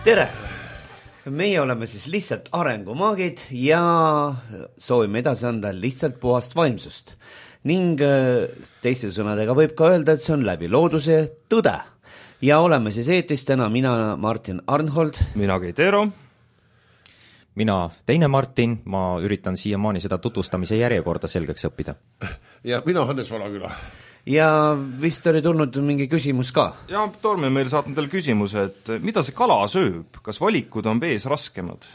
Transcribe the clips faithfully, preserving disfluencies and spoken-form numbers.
tere! Meie oleme siis lihtsalt arengumaagid ja soovime edasi anda lihtsalt puhast vaimsust. Ning teiste sõnadega võib ka öelda, et see on läbi looduse tõde. Ja oleme siis eetris täna mina Martin Arnhold. Mina Keit Eero. Mina teine Martin, ma üritan siiamaani seda tutvustamise järjekorda selgeks õppida. Ja mina Hannes Valaküla. Ja vist oli tulnud mingi küsimus ka. Ja Torm on meil saatnud teile küsimuse, et mida see kala sööb? Kas valikud on vees raskemad?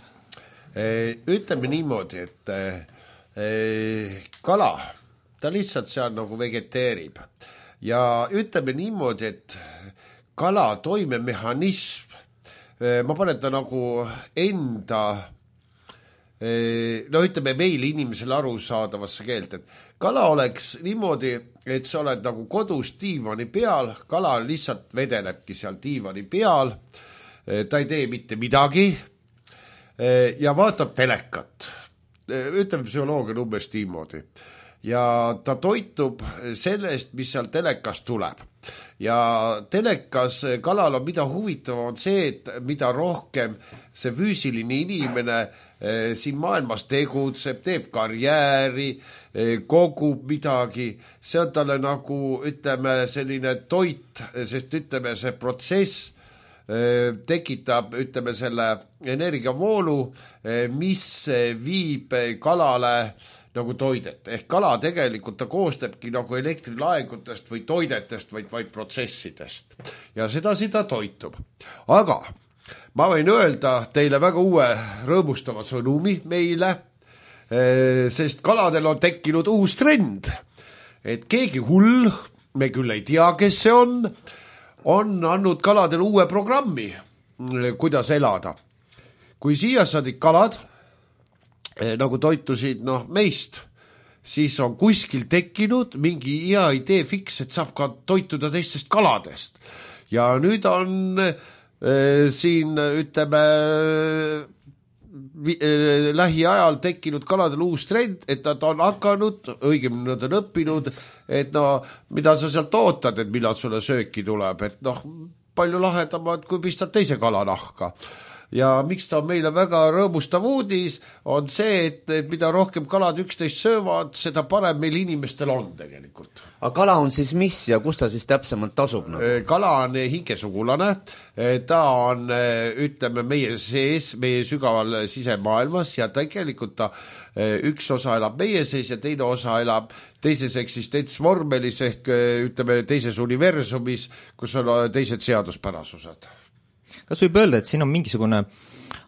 Ütleme niimoodi, et e, kala, ta lihtsalt seal nagu vegeteerib. Ja ütleme niimoodi, et kala toimemehhanism, ma panen ta nagu enda, no ütleme meil inimesele aru saadavasse keelt, et kala oleks niimoodi, et sa oled nagu kodus diivani peal, kala lihtsalt vedelebki seal diivani peal, ta ei tee mitte midagi ja vaatab telekat. Ütleme psühholoogia umbes niimoodi. Ja ta toitub sellest, mis seal telekas tuleb. Ja telekas kalal on mida huvitav on see, et mida rohkem see füüsiline inimene siin maailmas tegutseb, teeb karjääri, kogub midagi, see on talle nagu, ütleme, selline toit, sest ütleme, see protsess tekitab, ütleme, selle energiavoolu, mis viib kalale nagu toidet. Ehk kala tegelikult ta koostabki nagu elektrilaengutest või toidetest, vaid, vaid protsessidest. Ja seda seda toitub. Aga ma võin öelda teile väga uue rõõmustava sõnumi meile, sest kaladel on tekkinud uus trend. Et keegi hull, me küll ei tea, kes see on, on andnud kaladel uue programmi, kuidas elada. Kui siia saadid kalad, nagu toitusid no, meist, siis on kuskil tekkinud mingi hea idee fiks, et saab ka toituda teistest kaladest. Ja nüüd on äh, siin, ütleme, vi, äh, lähiajal tekkinud kaladel uus trend, et nad on hakanud, õigemini nad on õppinud, et no, mida sa sealt ootad, et millal sulle sööki tuleb, et noh, palju lahedamad, kui pistad teise kalanahka. Ja miks ta on meile väga rõõmustav uudis, on see, et, et mida rohkem kalad üksteist söövad, seda parem meil inimestel on tegelikult. Aga kala on siis mis ja kus ta siis täpsemalt tasub? No? Kala on hingesugulane, ta on, ütleme, meie sees, meie sügaval sisemaailmas ja tegelikult ta üks osa elab meie sees ja teine osa elab teises eksistentsvormelis ehk, ütleme, teises universumis, kus on teised seaduspärasused. Kas võib öelda, et siin on mingisugune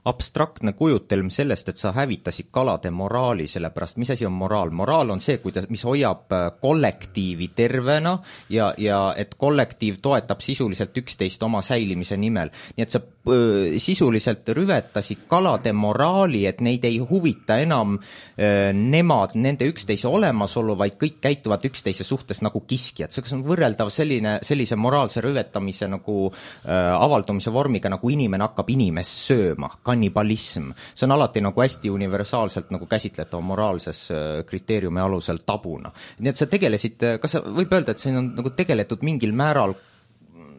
abstraktne kujutelm sellest, et sa hävitasid kalade moraali, sellepärast mis asi on moraal? Moraal on see, kuidas, mis hoiab kollektiivi tervena ja, ja et kollektiiv toetab sisuliselt üksteist oma säilimise nimel. Nii et sa äh, sisuliselt rüvetasid kalade moraali, et neid ei huvita enam äh, nemad, nende üksteise olemasolu, vaid kõik käituvad üksteise suhtes nagu kiskjad. See on võrreldav selline, sellise moraalse rüvetamise nagu äh, avaldumise vormiga, nagu inimene hakkab inimest sööma, kannibalism. See on alati nagu hästi universaalselt nagu käsitletav moraalses kriteeriumi alusel tabuna. Nii et sa tegelesid, kas sa võib öelda, et siin on nagu tegeletud mingil määral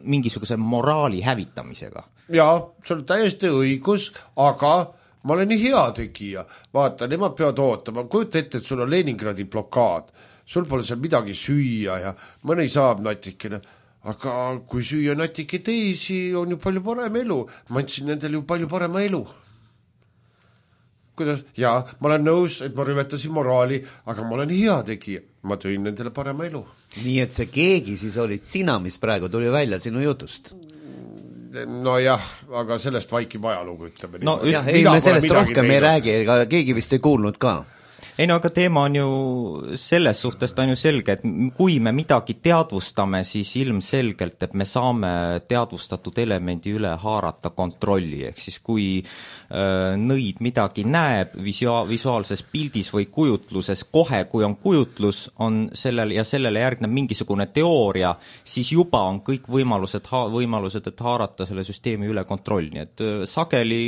mingisuguse moraali hävitamisega? Jaa, see on täiesti õigus, aga ma olen nii hea tegija. Vaata, nemad peavad ootama. Kujuta ette, et sul on Leningradi blokaad. Sul pole seal midagi süüa ja mõni saab natikene. Aga kui süüa natike teisi, on ju palju parem elu. Ma andsin nendele ju palju parema elu. Kuidas? Jaa, ma olen nõus, et ma rüvetasin moraali, aga ma olen hea tegija. Ma tõin nendele parema elu. Nii et see keegi siis olid sina, mis praegu tuli välja sinu jutust? No jah, aga sellest vaikib ajalugu, ütleme. No, jah, ei, me sellest rohkem teinud. Ei räägi, ega keegi vist ei kuulnud ka. Ei no, aga teema on ju selles suhtes on ju selge, et kui me midagi teadvustame, siis ilmselgelt, et me saame teadvustatud elemendi üle haarata kontrolli, ehk siis kui äh, nõid midagi näeb visua- visuaalses pildis või kujutluses, kohe kui on kujutlus on sellel, ja sellele järgneb mingisugune teooria, siis juba on kõik võimalused, ha- võimalused, et haarata selle süsteemi üle kontrolli. Et äh, sageli,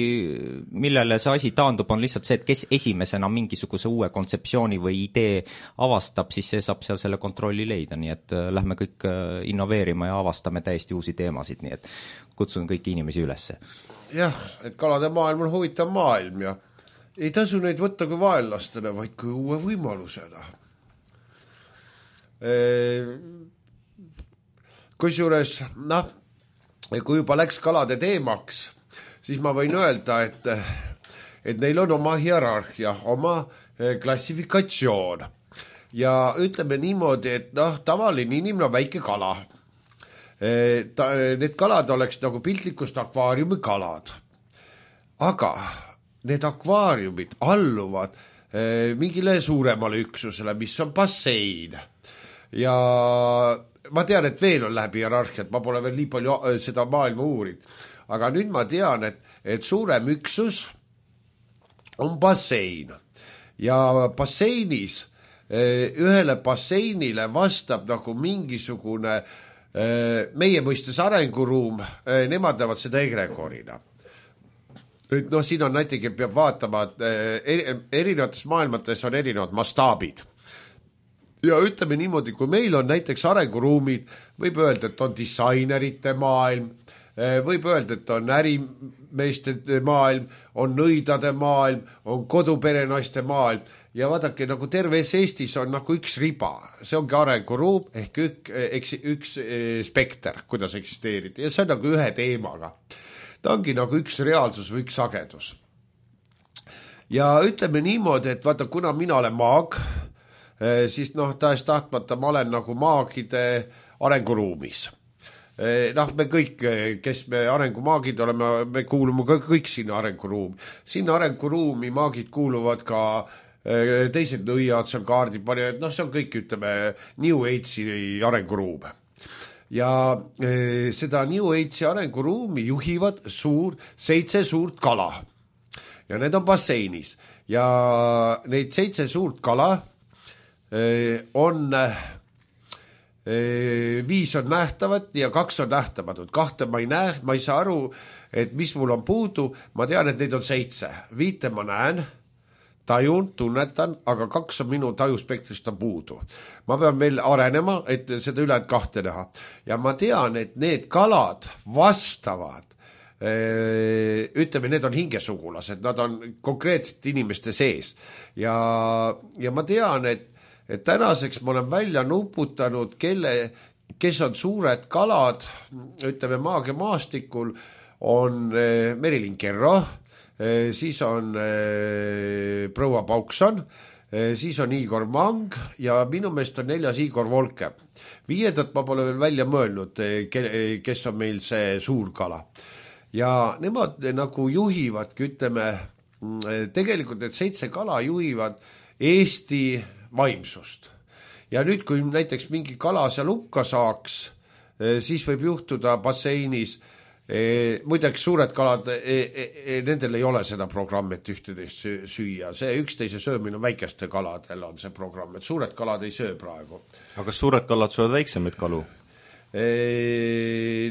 millele see asi taandub, on lihtsalt see, et kes esimesena mingisuguse uue kontseptsiooni või idee avastab, siis see saab seal selle kontrolli leida, nii et äh, lähme kõik äh, innoveerima ja avastame täiesti uusi teemasid, nii et kutsun kõiki inimesi ülesse. jah, et kalade maailm on huvitav maailm ja ei tasu neid võtta kui vaenlastena, vaid kui uue võimalusena. Kusjuures, noh, kui juba läks kalade teemaks, siis ma võin öelda, et, et neil on oma hierarhia, oma klassifikatsioon. Ja ütleme niimoodi, et noh, tavaline inimene on väike kala. Ta, need kalad oleks nagu piltlikust akvaariumi kalad. Aga need akvaariumid alluvad eh, mingile suuremale üksusele, mis on bassein. Ja ma tean, et veel on läbi hierarhiat, ma pole veel nii palju seda maailma uurid. Aga nüüd ma tean, et, et suurem üksus on bassein. Ja basseinis, eh, ühele basseinile vastab nagu mingisugune meie mõistes arenguruum, nemad näevad seda egregorina. Nüüd, no siin on näiteks, peab vaatama, et erinevates maailmates on erinevad mastaabid. Ja ütleme niimoodi, kui meil on näiteks arenguruumid, võib öelda, et on disainerite maailm, võib öelda, et on ärimeeste maailm, on nõidade maailm, on koduperenaiste maailm ja vaadake, nagu terves Eestis on nagu üks riba, see ongi arenguruum ehk üks, üks spekter, kuidas eksisteerida ja see on nagu ühe teemaga. Ta ongi nagu üks reaalsus või üks sagedus. Ja ütleme niimoodi, et vaata, kuna mina olen maag, siis noh, tahes tahtmata ma olen nagu maagide arenguruumis. Noh, me kõik, kes me arengumaagid oleme, me kuulume kõik sinna arenguruumi. Sinna arenguruumi maagid kuuluvad ka teised nõiad, seal kaardipanijad, noh, see on kõik, ütleme, New Age'i arenguruum. Ja seda New Age'i arenguruumi juhivad suur, seitse suurt kala. Ja need on basseinis. Ja neid seitse suurt kala on... viis on nähtavad ja kaks on nähtamatud. Kahte ma ei näe, ma ei saa aru, et mis mul on puudu. Ma tean, et neid on seitse. Viite ma näen, tajun, tunnetan, aga kaks on minu tajuspektrist on puudu. Ma pean veel arenema, et seda ülejäänud kahte näha. Ja ma tean, et need kalad vastavad, ütleme, need on hingesugulased, nad on konkreetselt inimeste sees. Ja, ja ma tean, et et tänaseks ma olen välja nuputanud, kelle, kes on suured kalad, ütleme maagia maastikul, on Merilin Kerro, siis on proua Paukson, siis on Igor Mang ja minu meelest on neljas Igor Volke. Viiedat ma pole veel välja mõelnud, kes on meil see suur kala. Ja nemad nagu juhivadki, ütleme, tegelikult need seitse kala juhivad Eesti vaimsust. Ja nüüd, kui näiteks mingi kala seal hukka saaks, siis võib juhtuda basseinis, muideks suured kalad, nendel ei ole seda programm, et ühteteist süüa. See üksteise söömine on väikeste kaladel on see programm, et suured kalad ei söö praegu. Aga kas suured kalad söövad väiksemaid kalu?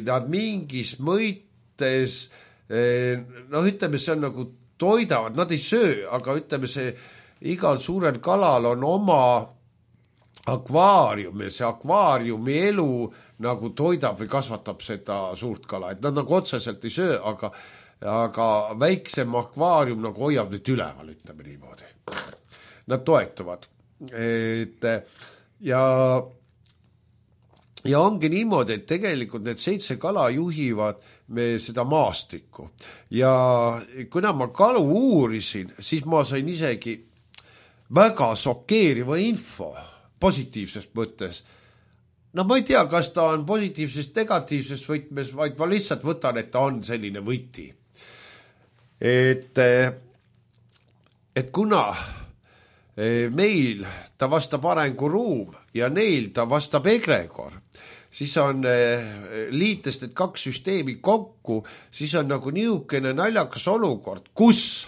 Nad mingis mõites, noh ütleme, see on nagu toidavad, nad ei söö, aga ütleme see igal suurel kalal on oma akvaarium ja see akvaariumi elu nagu toidab või kasvatab seda suurt kala. Et nad nagu otseselt ei söö, aga, aga väiksem akvaarium nagu hoiab nüüd üleval, ütleme niimoodi. Nad toetuvad. Et, ja, ja ongi niimoodi, et tegelikult need seitse kala juhivad me seda maastikku. Ja kuna ma kalu uurisin, siis ma sain isegi väga šokeeriva info positiivsest mõttes. No ma ei tea, kas ta on positiivsest negatiivsest võtmes, vaid ma lihtsalt võtan, et ta on selline võti. Et, et kuna meil ta vastab arenguruum ja neil ta vastab egregor, siis on liitest need kaks süsteemi kokku, siis on nagu niisugune naljakas olukord, kus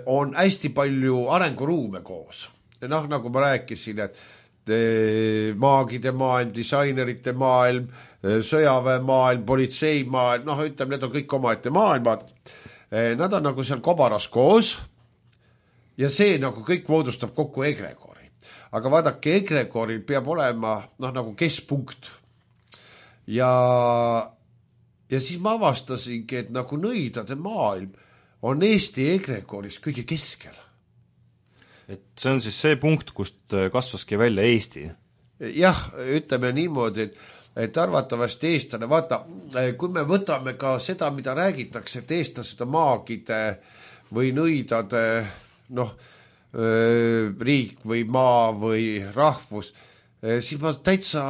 on hästi palju arenguruume koos. Noh, nagu ma rääkisin, et maagide maailm, disainerite maailm, sõjaväe maailm, politsei maailm, noh, ütleme, need on kõik omaette maailmad. Nad on nagu seal kobaras koos ja see nagu kõik moodustab kokku egregori. Aga vaadake, egregoril peab olema noh, nagu keskpunkt. Ja ja siis ma avastasingi, et nagu nõidade maailm on Eesti egregooris kõige keskel. et see on siis see punkt, kust kasvaski välja Eesti? Jah, ütleme niimoodi, et, et arvatavasti eestlane, vaata, kui me võtame ka seda, mida räägitakse, et eestlased on maagide või nõidade, noh, riik või maa või rahvus, siis ma täitsa,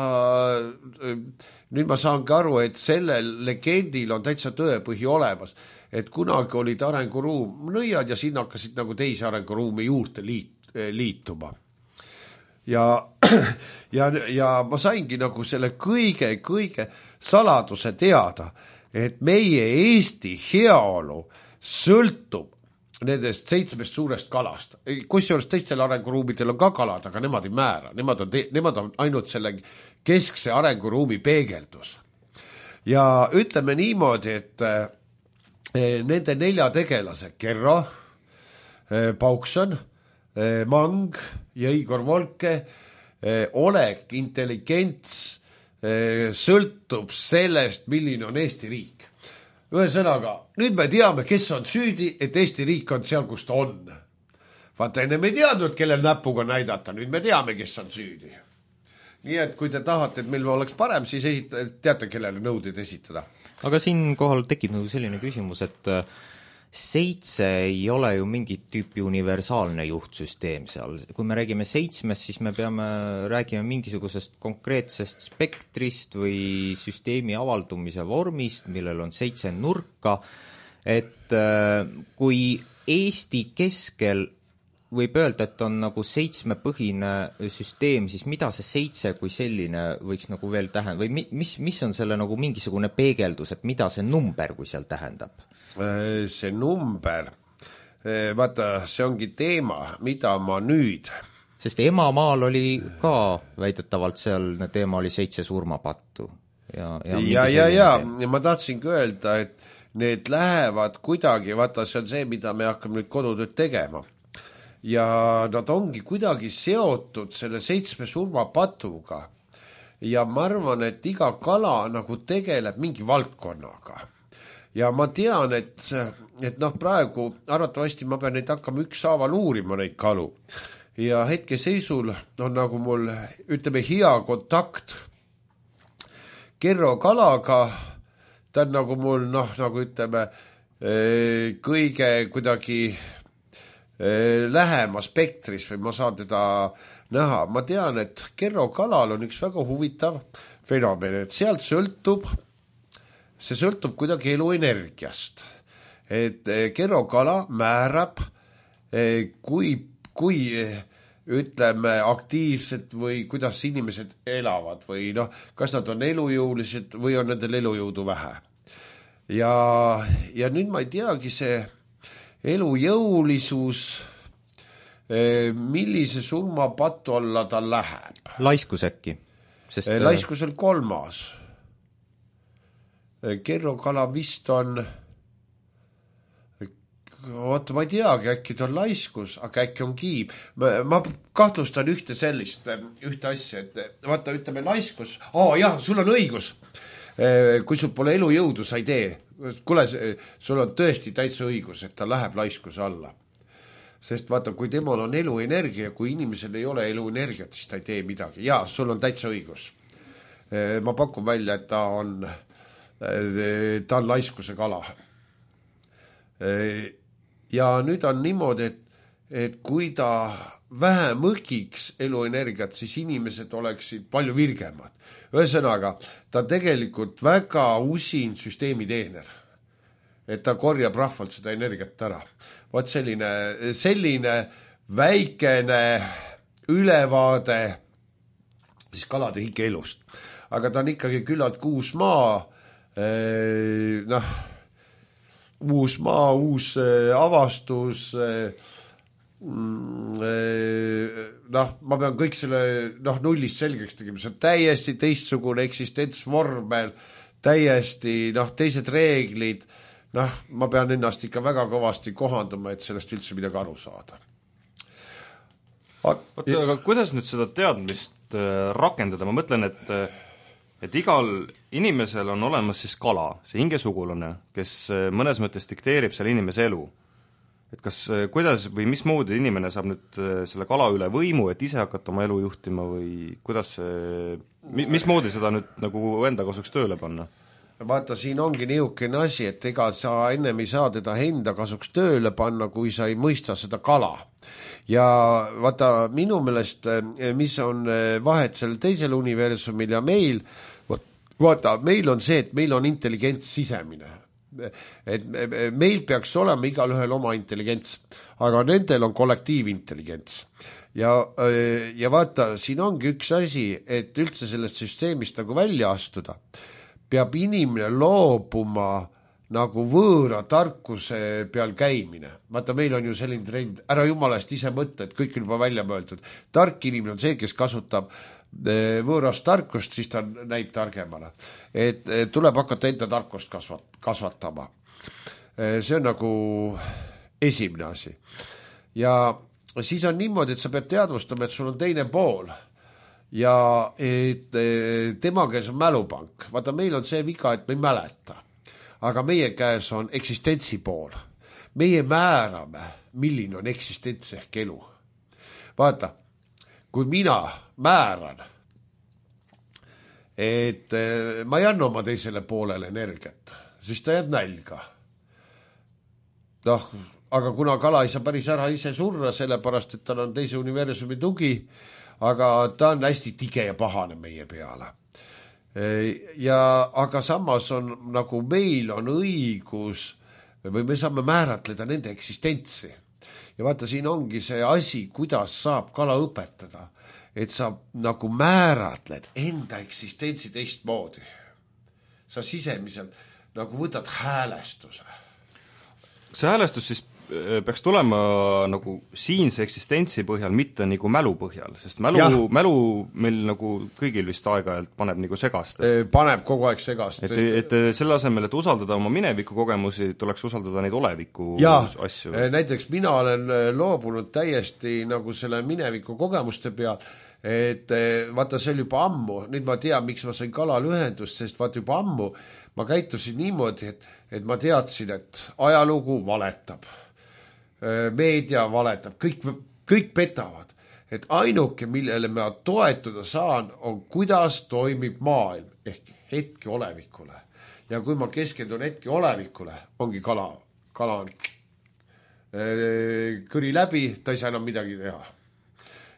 nüüd ma saangi aru, et sellel legendil on täitsa tõepõhi olemas, et kunagi olid arenguruum nõiad ja sinna hakkasid nagu teisi arenguruumi juurde liit, liituma. Ja, ja, ja ma saingi nagu selle kõige, kõige saladuse teada, et meie Eesti heaolu sõltub nendest seitsmest suurest kalast. Kusjuures teistel arenguruumidel on ka kalad, aga nemad ei määra. Nemad on, te, nemad on ainult selle keskse arenguruumi peegeldus. Ja ütleme niimoodi, et eh, nende nelja tegelase, Kerro, eh, Paukson, eh, Mang ja Igor Volke, eh, olek, intelligents eh, sõltub sellest, milline on Eesti riik. Ühesõnaga, nüüd me teame, kes on süüdi, et Eesti riik on seal, kus ta on. Vaata, enne me ei teadnud, kellel näpuga näidata, nüüd me teame, kes on süüdi. Nii et kui te tahate, et meil oleks parem, siis esita, teate, kellele nõudeid esitada. Aga siin kohal tekib nagu selline küsimus, et seitse ei ole ju mingit tüüpi universaalne juhtsüsteem seal. Kui me räägime seitsmest, siis me peame räägime mingisugusest konkreetsest spektrist või süsteemi avaldumise vormist, millel on seitse nurka, et kui Eesti keskel võib öelda, et on nagu seitsmepõhine süsteem, siis mida see seitse kui selline võiks nagu veel tähendada või mis, mis on selle nagu mingisugune peegeldus, et mida see number kui seal tähendab? See number, vaata, see ongi teema, mida ma nüüd... Sest emamaal oli ka väidetavalt seal teema oli seitse surmapattu. Ja, ja, ja, ja, ja, ja ma tahtsingi öelda, et need lähevad kuidagi, vaata, see on see, mida me hakkame nüüd kodutööd tegema. Ja nad ongi kuidagi seotud selle seitsme surmapatuga. Ja ma arvan, et iga kala nagu tegeleb mingi valdkonnaga. Ja ma tean, et, et noh, praegu arvatavasti ma pean neid hakkama ükshaaval uurima neid kalu. Ja hetke seisul on nagu mul, ütleme, hea kontakt Kerro kalaga. Ta on nagu mul, noh, nagu ütleme, kõige kuidagi lähema spektris või ma saan teda näha. Ma tean, et Kerro kalal on üks väga huvitav fenomen, et sealt sõltub see sõltub kuidagi eluenergiast. Et Kerro kala määrab, kui, kui ütleme aktiivsed või kuidas inimesed elavad või noh, kas nad on elujõulised või on nendel elujõudu vähe. Ja, ja nüüd ma ei teagi see elujõulisus, millise surmapatu alla ta läheb. Laiskus äkki? Sest... Laiskus on kolmas. Kerro kala vist on, oota, ma ei teagi, äkki ta on laiskus, aga äkki on kiib. Ma, ma kahtlustan ühte sellist, ühte asja, et vaata, ütleme laiskus, aa jah, sul on õigus. Kui sul pole elujõudu, sa ei tee. Kule, sul on tõesti täitsa õigus, et ta läheb laiskuse alla. Sest vaata, kui temal on eluenergia, kui inimesel ei ole eluenergiat, siis ta ei tee midagi. Jaa, sul on täitsa õigus. Ma pakun välja, et ta on... ta on laiskuse kala. Ja nüüd on niimoodi, et, et kui ta vähe mõkiks eluenergiat, siis inimesed oleksid palju virgemad. Ühesõnaga, ta tegelikult väga usin süsteemi teener. Et ta korjab rahvalt seda energiat ära. Vaat selline, selline väikene ülevaade siis kalade hikeelust. Aga ta on ikkagi küllalt kuus maa, noh, uus maa, uus avastus, noh, ma pean kõik selle noh, nullist selgeks tegema, see on täiesti teistsugune eksistentsvormel, täiesti noh, teised reeglid, noh, ma pean ennast ikka väga kõvasti kohandama, et sellest üldse midagi aru saada. Oota, aga kuidas nüüd seda teadmist rakendada, ma mõtlen, et et igal inimesel on olemas siis kala, see hingesugulane, kes mõnes mõttes dikteerib selle inimese elu. Et kas, kuidas või mismoodi inimene saab nüüd selle kala üle võimu, et ise hakata oma elu juhtima või kuidas see, mismoodi seda nüüd nagu enda kasuks tööle panna? Vaata, siin ongi niisugune asi, et ega sa ennem ei saa teda enda kasuks tööle panna, kui sa ei mõista seda kala. Ja vaata, minu meelest, mis on vahet selle teisel universumil ja meil, vaata, meil on see, et meil on intelligents sisemine. Et meil peaks olema igal ühel oma intelligents, aga nendel on kollektiivintelligents. Ja, ja vaata, siin ongi üks asi, et üldse sellest süsteemist nagu välja astuda, peab inimene loobuma nagu võõra tarkuse peal käimine. Vaata, meil on ju selline trend, ära jumalast ise mõtle, et kõik on juba välja mõeldud. Tark inimene on see, kes kasutab võõrast tarkust, siis ta näib targemana. Et tuleb hakata enda tarkust kasvat, kasvatama. See on nagu esimene asi. Ja siis on niimoodi, et sa pead teadvustama, et sul on teine pool. Ja et tema käes on mälupank. Vaata, meil on see viga, et me ei mäleta. Aga meie käes on eksistentsi pool. Meie määrame, milline on eksistents ehk elu. Vaata, kui mina määran, et ma ei anna oma teisele poolele energiat, siis ta jääb nälga. Noh, aga kuna kala ei saa päris ära ise surra, sellepärast, et tal on teise universumi tugi, aga ta on hästi tige ja pahane meie peale. Ja, aga samas on, nagu meil on õigus, või me saame määratleda nende eksistentsi. Ja vaata, siin ongi see asi, kuidas saab kala õpetada, et sa nagu määratled enda eksistentsi teistmoodi. Sa sisemiselt nagu võtad häälestuse. See häälestus siis peaks tulema nagu siinse eksistentsi põhjal, mitte nagu mälu põhjal, sest mälu, mälu meil nagu kõigil vist aeg-ajalt paneb nagu segast. Paneb kogu aeg segast. Et, et selle asemel, et usaldada oma mineviku kogemusi, tuleks usaldada neid oleviku ja, asju. Näiteks mina olen loobunud täiesti nagu selle mineviku kogemuste peal, et vaata, see oli juba ammu, nüüd ma tean, miks ma sain kalal ühendust, sest vaata juba ammu ma käitusin niimoodi, et, et ma teadsin, et ajalugu valetab. Meedia valetab, kõik, kõik petavad, et ainuke, millele ma toetuda saan, on kuidas toimib maailm ehk hetke olevikule. Ja kui ma keskendun hetke olevikule, ongi kala, kala on kõri läbi, ta ei saa enam midagi teha.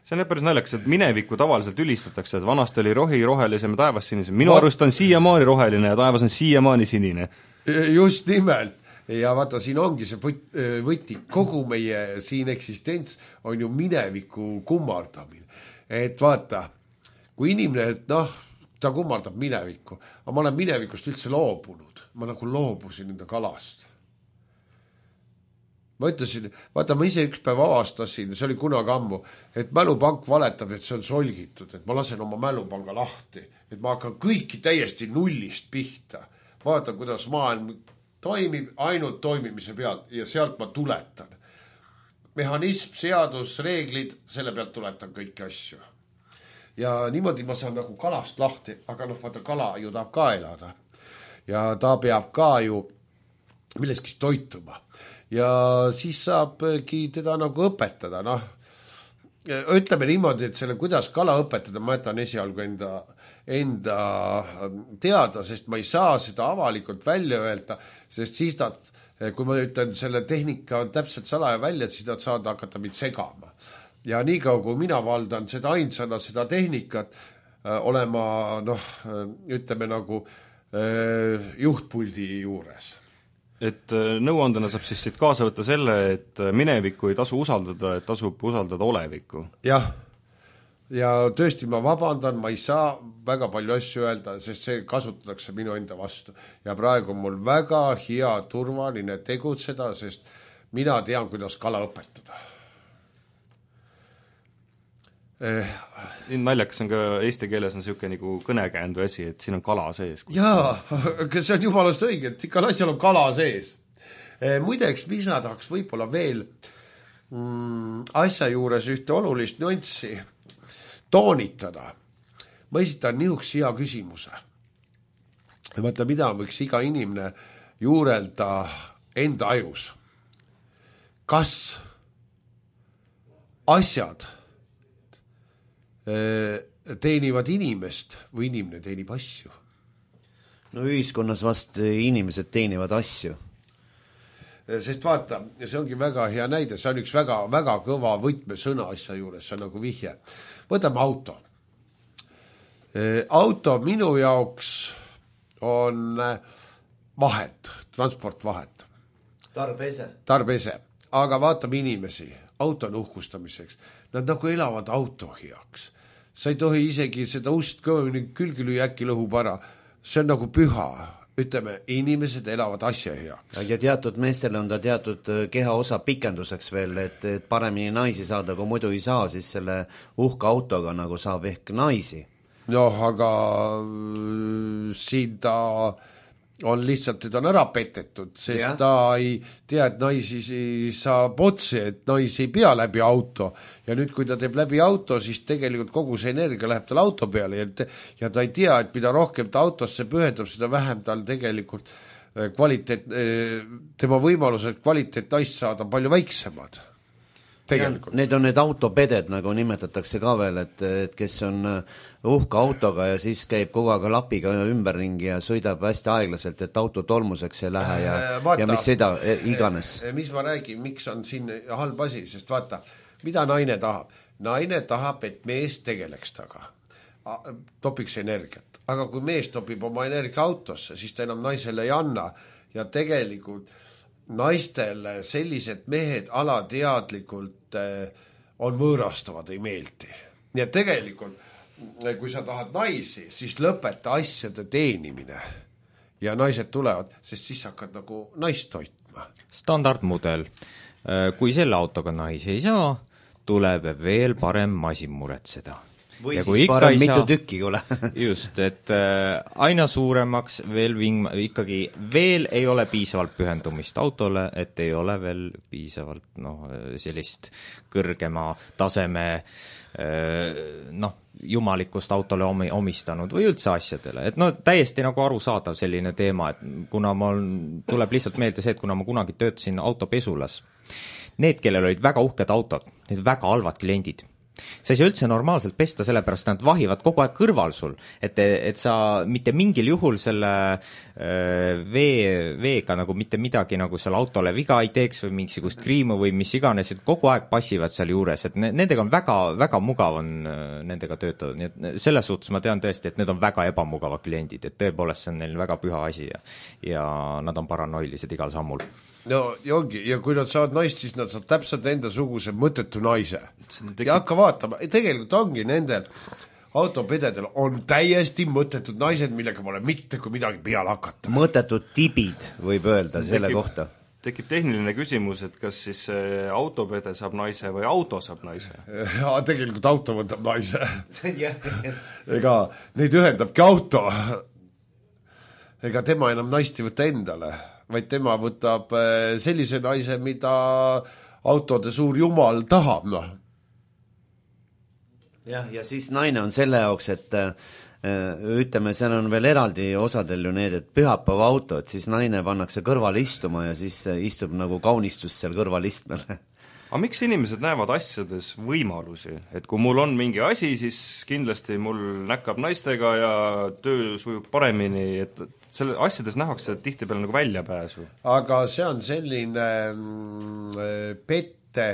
See on päris naljakas, et minevikku tavaliselt ülistatakse, et vanasti oli rohi rohelisem ja taevas sinisem. Minu Ma... arust on siiamaani roheline ja taevas on siiamaani sinine. Just nimelt. Ja vaata, siin ongi see võti, kogu meie siin eksistents on ju mineviku kummardamine. Et vaata, kui inimene, et noh, ta kummardab minevikku, aga ma olen minevikust üldse loobunud. Ma nagu loobusin enda kalast. Ma ütlesin, vaata, ma ise üks päev avastasin, see oli kunagi ammu, et mälupank valetab, et see on solgitud, et ma lasen oma mälupanga lahti, et ma hakkan kõiki täiesti nullist pihta. Vaata, kuidas maailm toimib ainult toimimise pealt ja sealt ma tuletan. Mehhanism, seadus, reeglid, selle pealt tuletan kõiki asju. Ja niimoodi ma saan nagu kalast lahti, aga noh, vaata, kala ju tahab ka elada. Ja ta peab ka ju milleski toituma. Ja siis saabki teda nagu õpetada, noh. Ütleme niimoodi, et selle, kuidas kala õpetada, ma jätan esialgu enda enda teada, sest ma ei saa seda avalikult välja öelda, sest siis nad, kui ma ütlen selle tehnika on täpselt salaja välja, siis nad saavad hakata mind segama. Ja nii kaua, kui mina valdan seda ainsana, seda tehnikat, olema, noh, ütleme nagu juhtpuldi juures. Et nõuandena saab siis siit kaasa võtta selle, et minevikku ei tasu usaldada, et tasub usaldada olevikku. Jah. Ja tõesti ma vabandan, ma ei saa väga palju asju öelda, sest see kasutatakse minu enda vastu. Ja praegu on mul väga hea turvaline tegutseda, sest mina tean, kuidas kala õpetada. Eh. Naljakas on ka eesti keeles on siuke nagu kõnekäändu asi, et siin on kala sees. Jaa, aga see on jumalast õige, et ikka asjal on kala sees. Eh, muideks, mis ma tahaks võib-olla veel mm, asja juures ühte olulist nüanssi toonitada. Ma esitan niisuguse hea küsimuse. vaata, mida võiks iga inimene juurelda enda ajus. Kas asjad teenivad inimest või inimene teenib asju? No ühiskonnas vast inimesed teenivad asju. Sest vaata, see ongi väga hea näide, see on üks väga, väga kõva võtmesõna asja juures, see on nagu vihje. Võtame auto. Auto minu jaoks on vahet, transportvahet. Tarbese. Tarbese. Aga vaatame inimesi, auto on uhkustamiseks. Nad nagu elavad auto heaks. Sa ei tohi isegi seda ust kõvemini külgi lüüa, äkki lõhub ära. See on nagu püha. Ütleme, inimesed elavad asja heaks. Ja teatud meestele on ta teatud kehaosa pikenduseks veel, et, et paremini naisi saada, kui muidu ei saa, siis selle uhka autoga nagu saab ehk naisi. Noh, aga siin ta on lihtsalt, teda on ära petetud, sest ja. Ta ei tea, et naisi saab otse, et naisi ei pea läbi auto. Ja nüüd, kui ta teeb läbi auto, siis tegelikult kogu see energia läheb tal auto peale ja, te, ja ta ei tea, et mida rohkem ta autosse pühendab, seda vähem tal tegelikult kvaliteet, tema võimalused kvaliteet naist saada on palju väiksemad. Tegelikult. Need on need autopeded, nagu nimetatakse ka veel, et, et kes on uhka autoga ja siis käib kogu aeg lapiga ümberringi ja sõidab hästi aeglaselt, et auto tolmuseks ei lähe ja, vaata, ja mis seda iganes. Mis ma räägin, miks on siin halb asi, sest vaata, mida naine tahab? Naine tahab, et mees tegeleks taga, topiks energiat. Aga kui mees topib oma energia autosse, siis ta enam naisele ei anna ja tegelikult naistele sellised mehed alateadlikult on võõrastavad, ei meeldi. Nii et tegelikult, kui sa tahad naisi, siis lõpeta asjade teenimine ja naised tulevad, sest siis hakkad nagu naist toitma. Standardmudel. Kui selle autoga naisi ei saa, tuleb veel parem masin muretseda. Või ja siis parem mitu saa, tükki, kuule. Just, et äh, aina suuremaks veel ving, ikkagi veel ei ole piisavalt pühendumist autole, et ei ole veel piisavalt noh, sellist kõrgema taseme äh, noh, jumalikust autole omi, omistanud või üldse asjadele. Et no täiesti nagu arusaadav selline teema, et kuna mul tuleb lihtsalt meelde see, et kuna ma kunagi töötasin autopesulas, need, kellel olid väga uhked autod, need väga halvad kliendid, sa ei saa üldse normaalselt pesta, sellepärast nad vahivad kogu aeg kõrval sul, et, et sa mitte mingil juhul selle äh, vee, veega nagu mitte midagi nagu selle autole viga ei teeks või mingisugust kriimu või mis iganes, et kogu aeg passivad seal juures, et ne, nendega on väga, väga mugav on äh, nendega töötada, nii et selles suhtes ma tean tõesti, et need on väga ebamugavad kliendid, et tõepoolest see on neil väga püha asi ja, ja nad on paranoilised igal sammul. No ja ongi, ja kui nad saavad naist, siis nad saavad täpselt enda suguse mõttetu naise. Ja hakka vaatama, tegelikult ongi nendel autopededel on täiesti mõttetud naised, millega pole mitte kui midagi peale hakata. Mõttetud tibid, võib öelda selle tekib, kohta. Tekib tehniline küsimus, et kas siis autopede saab naise või auto saab naise? Ja tegelikult auto võtab naise. Ega neid ühendabki auto. Ega tema enam naist ei võta endale, vaid tema võtab sellise naise, mida autode suur jumal tahab, noh. jah, ja siis naine on selle jaoks, et ütleme, seal on veel eraldi osadel ju need, et pühapäeva auto, et siis naine pannakse kõrval istuma ja siis istub nagu kaunistust seal kõrval istmel. Aga miks inimesed näevad asjades võimalusi? Et kui mul on mingi asi, siis kindlasti mul näkkab naistega ja töö sujub paremini, et selle asjades nähakse tihti peale nagu väljapääsu. Aga see on selline mm, pette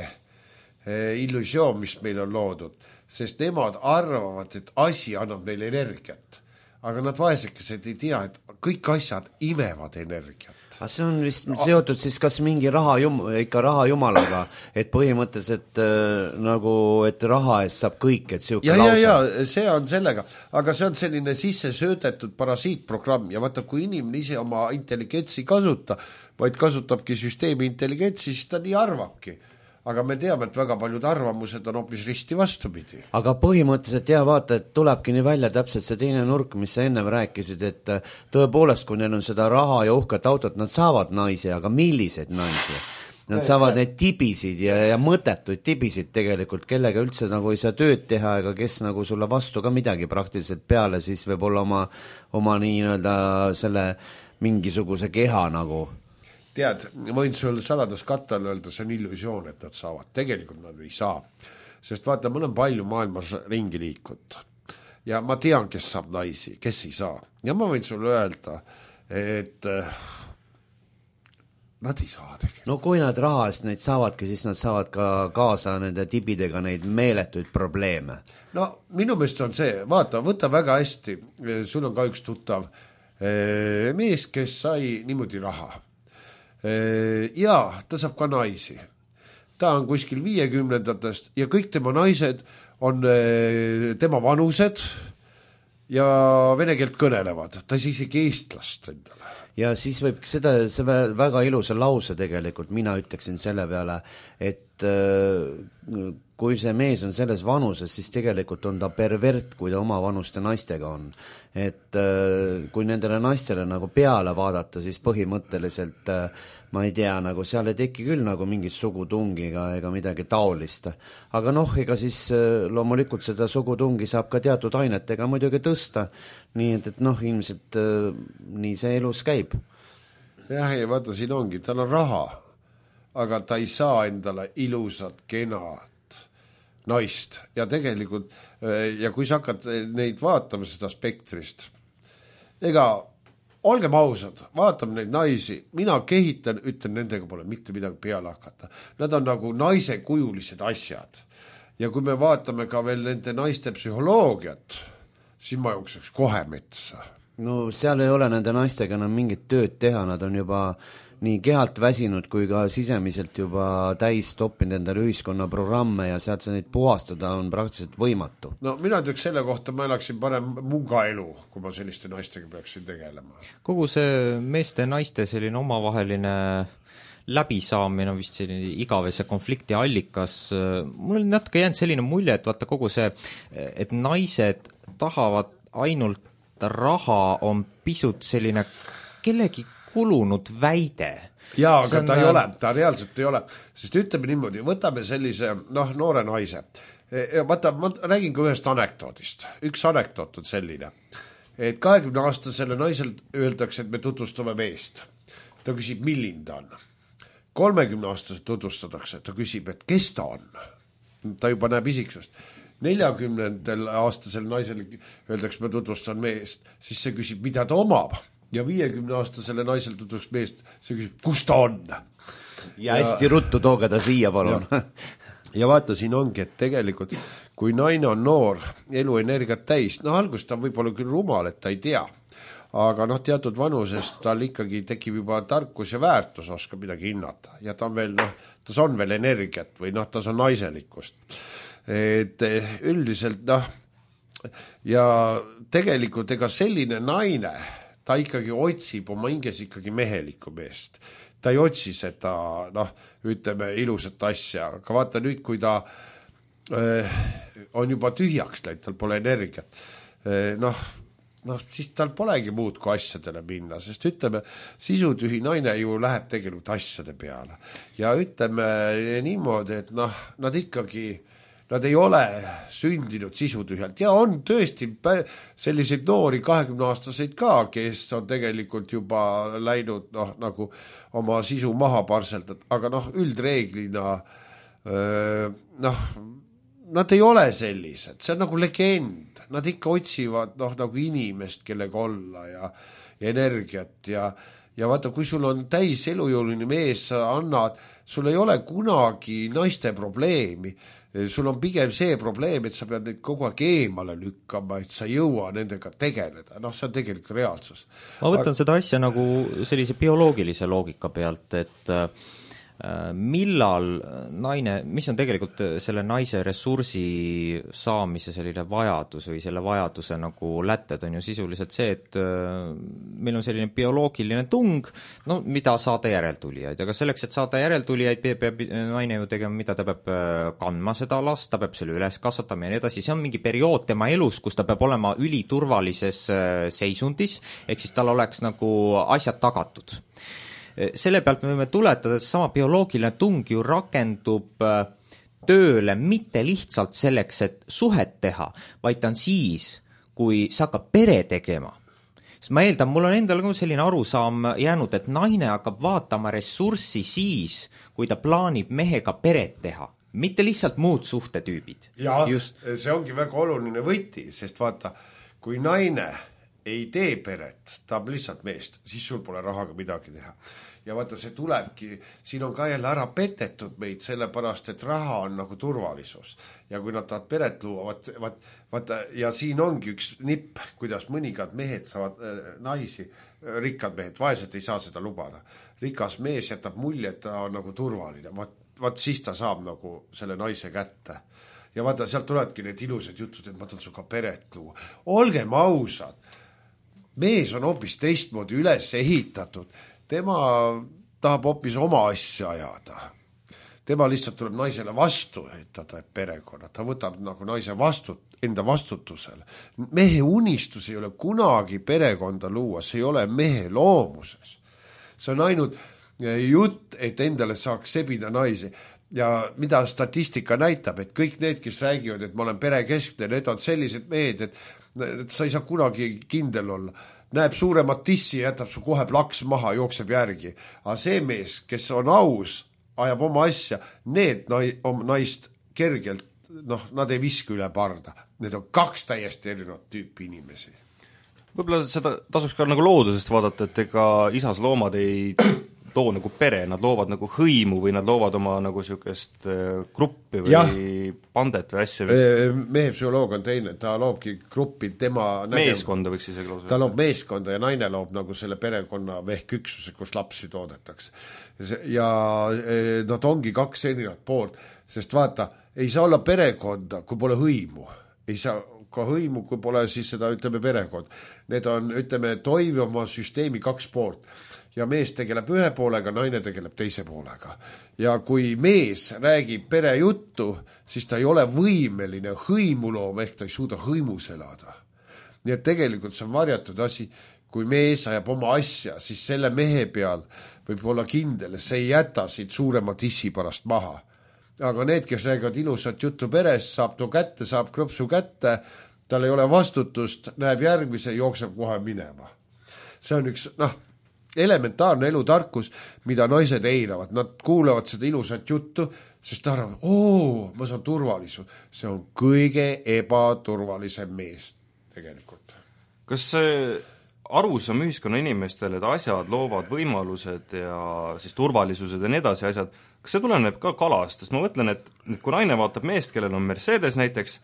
illusioon, mis meil on loodud, sest nemad arvavad, et asi annab neile energiat. Aga nad vaesekesed ei tea, et kõik asjad imevad energiat. Aga see on vist seotud siis kas mingi raha jum, ikka raha jumalaga, et põhimõtteliselt äh, nagu, et raha eest saab kõik, et siuke ja, lausa. Ja, ja, see on sellega, aga see on selline sisse söödetud parasiitprogramm ja vaata, kui inimene ise oma intelligentsi kasuta, vaid kasutabki süsteemi intelligentsi, siis ta nii arvabki. Aga me teame, et väga paljud arvamused on hoopis risti vastupidi. Aga põhimõtteliselt jah, vaata, et tulebki nii välja täpselt see teine nurk, mis sa enne rääkisid, et tõepoolest, kui neil on seda raha ja uhket autot, nad saavad naisi, aga milliseid naisi? nad saavad neid tibisid ja, ja mõttetuid tibisid tegelikult, kellega üldse nagu ei saa tööd teha ega kes nagu sulle vastu ka midagi praktiliselt peale, siis võib olla oma, oma nii-öelda selle mingisuguse keha nagu. Tead, ma võin sul saladuskattel öelda, see on illusioon, et nad saavad. Tegelikult nad ei saa. Sest vaata, ma olen palju maailmas ringi liikunud. Ja ma tean, kes saab naisi, kes ei saa. Ja ma võin sulle öelda, et nad ei saa tegelikult. No kui nad raha eest neid saavadki, siis nad saavad ka kaasa nende tibidega neid meeletuid probleeme. No minu meelest on see, vaata, võta väga hästi, sul on ka üks tuttav mees, kes sai niimoodi raha. Ja ta saab ka naisi. Ta on kuskil viiekümnendatest ja kõik tema naised on tema vanused ja vene keelt kõnelevad. Ta ei saa isegi eestlast endale. Ja siis võib seda, see väga ilusa lause tegelikult, mina ütleksin selle peale, et kui see mees on selles vanuses, siis tegelikult on ta pervert, kui ta oma vanuste naistega on. Et kui nendele naistele nagu peale vaadata, siis põhimõtteliselt ma ei tea, nagu seal ei teki küll nagu mingit sugutungiga ega midagi taolist. Aga noh, ega siis loomulikult seda sugutungi saab ka teatud ainetega muidugi tõsta. Nii et, et noh, ilmselt nii see elus käib. Jah, ja vaata, siin ongi, tal on raha, aga ta ei saa endale ilusat, kenat naist. Ja tegelikult, ja kui sa hakkad neid vaatama seda spektrist, ega olgem ausad, vaatame neid naisi, mina kehitan, ütlen, nendega pole mitte midagi peale hakata. Nad on nagu naisekujulised asjad. Ja kui me vaatame ka veel nende naiste psühholoogiat, siis ma jookseks kohe metsa. No seal ei ole nende naistega enam mingit tööd teha, nad on juba nii kehalt väsinud kui ka sisemiselt juba täis toppinud endale ühiskonna programme ja sealt sa neid puhastada on praktiliselt võimatu. No mina ütleks selle kohta, ma elaksin parem munga elu, kui ma selliste naistega peaksin tegelema. Kogu see meeste ja naiste selline omavaheline läbisaamine on vist selline igavese konflikti allikas. Mul on natuke jäänud selline mulje, et vaata kogu see, et naised tahavad ainult raha on pisut selline kellegi kulunud väide. Jaa, aga on, ta ei ole, ta reaalselt ei ole. Sest ütleme niimoodi, võtame sellise noh, noore naise. Vaata, ma räägin ka ühest anekdoodist. Üks anekdoot on selline, et kahekümne aastasele naisel öeldakse, et me tutvustame meest. Ta küsib, milline ta on. kolmekümne aastaselt tutvustatakse, ta küsib, et kes ta on. Ta juba näeb isiksust. neljakümnendal aastasel naisel öeldakse, me tutvustan meest, siis see küsib, mida ta omab. Ja viiekümne aastasele naisel tutvust meest, see küsib, kus ta on. Ja hästi ja, ruttu tooga ta siia, palun. Ja, ja vaata, siin ongi, et tegelikult, kui naine on noor, eluenergiat täis, no algust ta võib olla küll rumal, et ta ei tea. Aga noh, teatud vanusest tal ikkagi tekib juba tarkus ja väärtus, oskab midagi hinnata. Ja ta on veel, noh, tas on veel energiat või noh, tas on naiselikkust. Et üldiselt, noh, ja tegelikult ega selline naine, ta ikkagi otsib oma hinges ikkagi mehelikku meest. Ta ei otsi seda, noh, ütleme, ilusat asja. Aga vaata nüüd, kui ta äh, on juba tühjaks läinud, tal pole energiat, äh, noh, noh, siis tal polegi muud kui asjadele minna, sest ütleme, sisutühi naine ju läheb tegelikult asjade peale. Ja ütleme niimoodi, et noh, nad ikkagi, nad ei ole sündinud sisutühjalt ja on tõesti selliseid noori kahekümne aastaseid ka, kes on tegelikult juba läinud noh, nagu oma sisu maha parseldat, aga noh, üldreeglina öö, noh, nad ei ole sellised, see on nagu legend, nad ikka otsivad noh, nagu inimest, kellega olla ja, ja energiat ja, ja vaata, kui sul on täis elujõuline mees, sa annad, sul ei ole kunagi naiste probleemi, sul on pigem see probleem, et sa pead neid kogu aeg eemale lükkama, et sa ei jõua nendega tegeleda, noh, see on tegelikult reaalsus. Ma võtan Aga... seda asja nagu sellise bioloogilise loogika pealt, et millal naine, mis on tegelikult selle naise ressursi saamise selline vajadus või selle vajaduse nagu lätted on ju sisuliselt see, et meil on selline bioloogiline tung, no mida saada järeltulijaid, aga selleks, et saada järeltulijaid, peab, peab naine ju tegema, mida ta peab kandma seda last, ta peab selle üles kasvatama ja nii edasi, see on mingi periood tema elus, kus ta peab olema üliturvalises seisundis, ehk siis tal oleks nagu asjad tagatud. selle pealt me võime tuletada, et sama bioloogiline tung ju rakendub tööle mitte lihtsalt selleks, et suhet teha, vaid ta on siis, kui sa hakkad pere tegema. Sest ma eeldan, mul on endal ka selline arusaam jäänud, et naine hakkab vaatama ressurssi siis, kui ta plaanib mehega peret teha. Mitte lihtsalt muud suhtetüübid. Ja Just. see ongi väga oluline võti, sest vaata, kui naine ei tee peret, tahab lihtsalt meest, siis sul pole rahaga midagi teha. Ja vaata, see tulebki, siin on ka jälle ära petetud meid, sellepärast, et raha on nagu turvalisus. Ja kui nad tahavad peret luua, vaat, vaat, vaata, ja siin ongi üks nipp, kuidas mõningad mehed saavad äh, naisi, rikkad mehed, vaesed ei saa seda lubada. Rikas mees jätab mulje, et ta on nagu turvaline, vaat, vaat siis ta saab nagu selle naise kätte. Ja vaata, sealt tuledki need ilusad jutud, et ma tahan suga peret luua. Olgem ausad, mees on hoopis teistmoodi üles ehitatud. Tema tahab hoopis oma asja ajada. Tema lihtsalt tuleb naisele vastu, et ta teeb perekonna. Ta võtab nagu naise vastut, enda vastutusele. Mehe unistus ei ole kunagi perekonda luua, see ei ole mehe loomuses. See on ainult jutt, et endale saaks sebida naisi. Ja mida statistika näitab, et kõik need, kes räägivad, et ma olen perekeskne, need on sellised mehed, et, et sa ei saa kunagi kindel olla. Näeb suuremat tissi, jätab su kohe plaks maha, jookseb järgi. Aga see mees, kes on aus, ajab oma asja, need naist kergelt, noh, nad ei viska üle parda. Need on kaks täiesti erinevat tüüpi inimesi. Võib-olla seda tasuks ka nagu loodusest vaadata, et ega isas loomad ei loo nagu pere, nad loovad nagu hõimu või nad loovad oma nagu sükest gruppi või ja. Pandet või asja. Mehe psühholoog on teine, ta loobki gruppi tema meeskonda võiks isegi lausa. Ta loob meeskonda ja naine loob nagu selle perekonna ehk üksuse, kus lapsi toodetakse. Ja nad ongi kaks erinevat poolt, sest vaata, ei saa olla perekonda, kui pole hõimu. Ei saa ka hõimu, kui pole siis seda, ütleme, perekond. Need on, ütleme, toivuma süsteemi kaks poolt. Ja mees tegeleb ühe poolega, naine tegeleb teise poolega. Ja kui mees räägib pere juttu, siis ta ei ole võimeline hõimuloom, ehk ta ei suuda hõimus elada. Nii et tegelikult see on varjatud asi. Kui mees ajab oma asja, siis selle mehe peal võib olla kindel, see ei jäta siit suurema tissi pärast maha. Aga need, kes räägivad ilusat juttu peres, saab too kätte, saab krõpsu kätte, tal ei ole vastutust, näeb järgmise, jookseb kohe minema. See on üks, noh, elementaarne elutarkus, mida naised eiravad. Nad kuulevad seda ilusat juttu, sest ta arvavad, oo, ma saan turvalisus. See on kõige ebaturvalisem mees tegelikult. Kas see arusaam ühiskonna inimestele, et asjad loovad võimalused ja siis turvalisused ja nii edasi asjad, kas see tuleneb ka kalast? Sest ma mõtlen, et, et kui naine vaatab meest, kellel on Mercedes näiteks,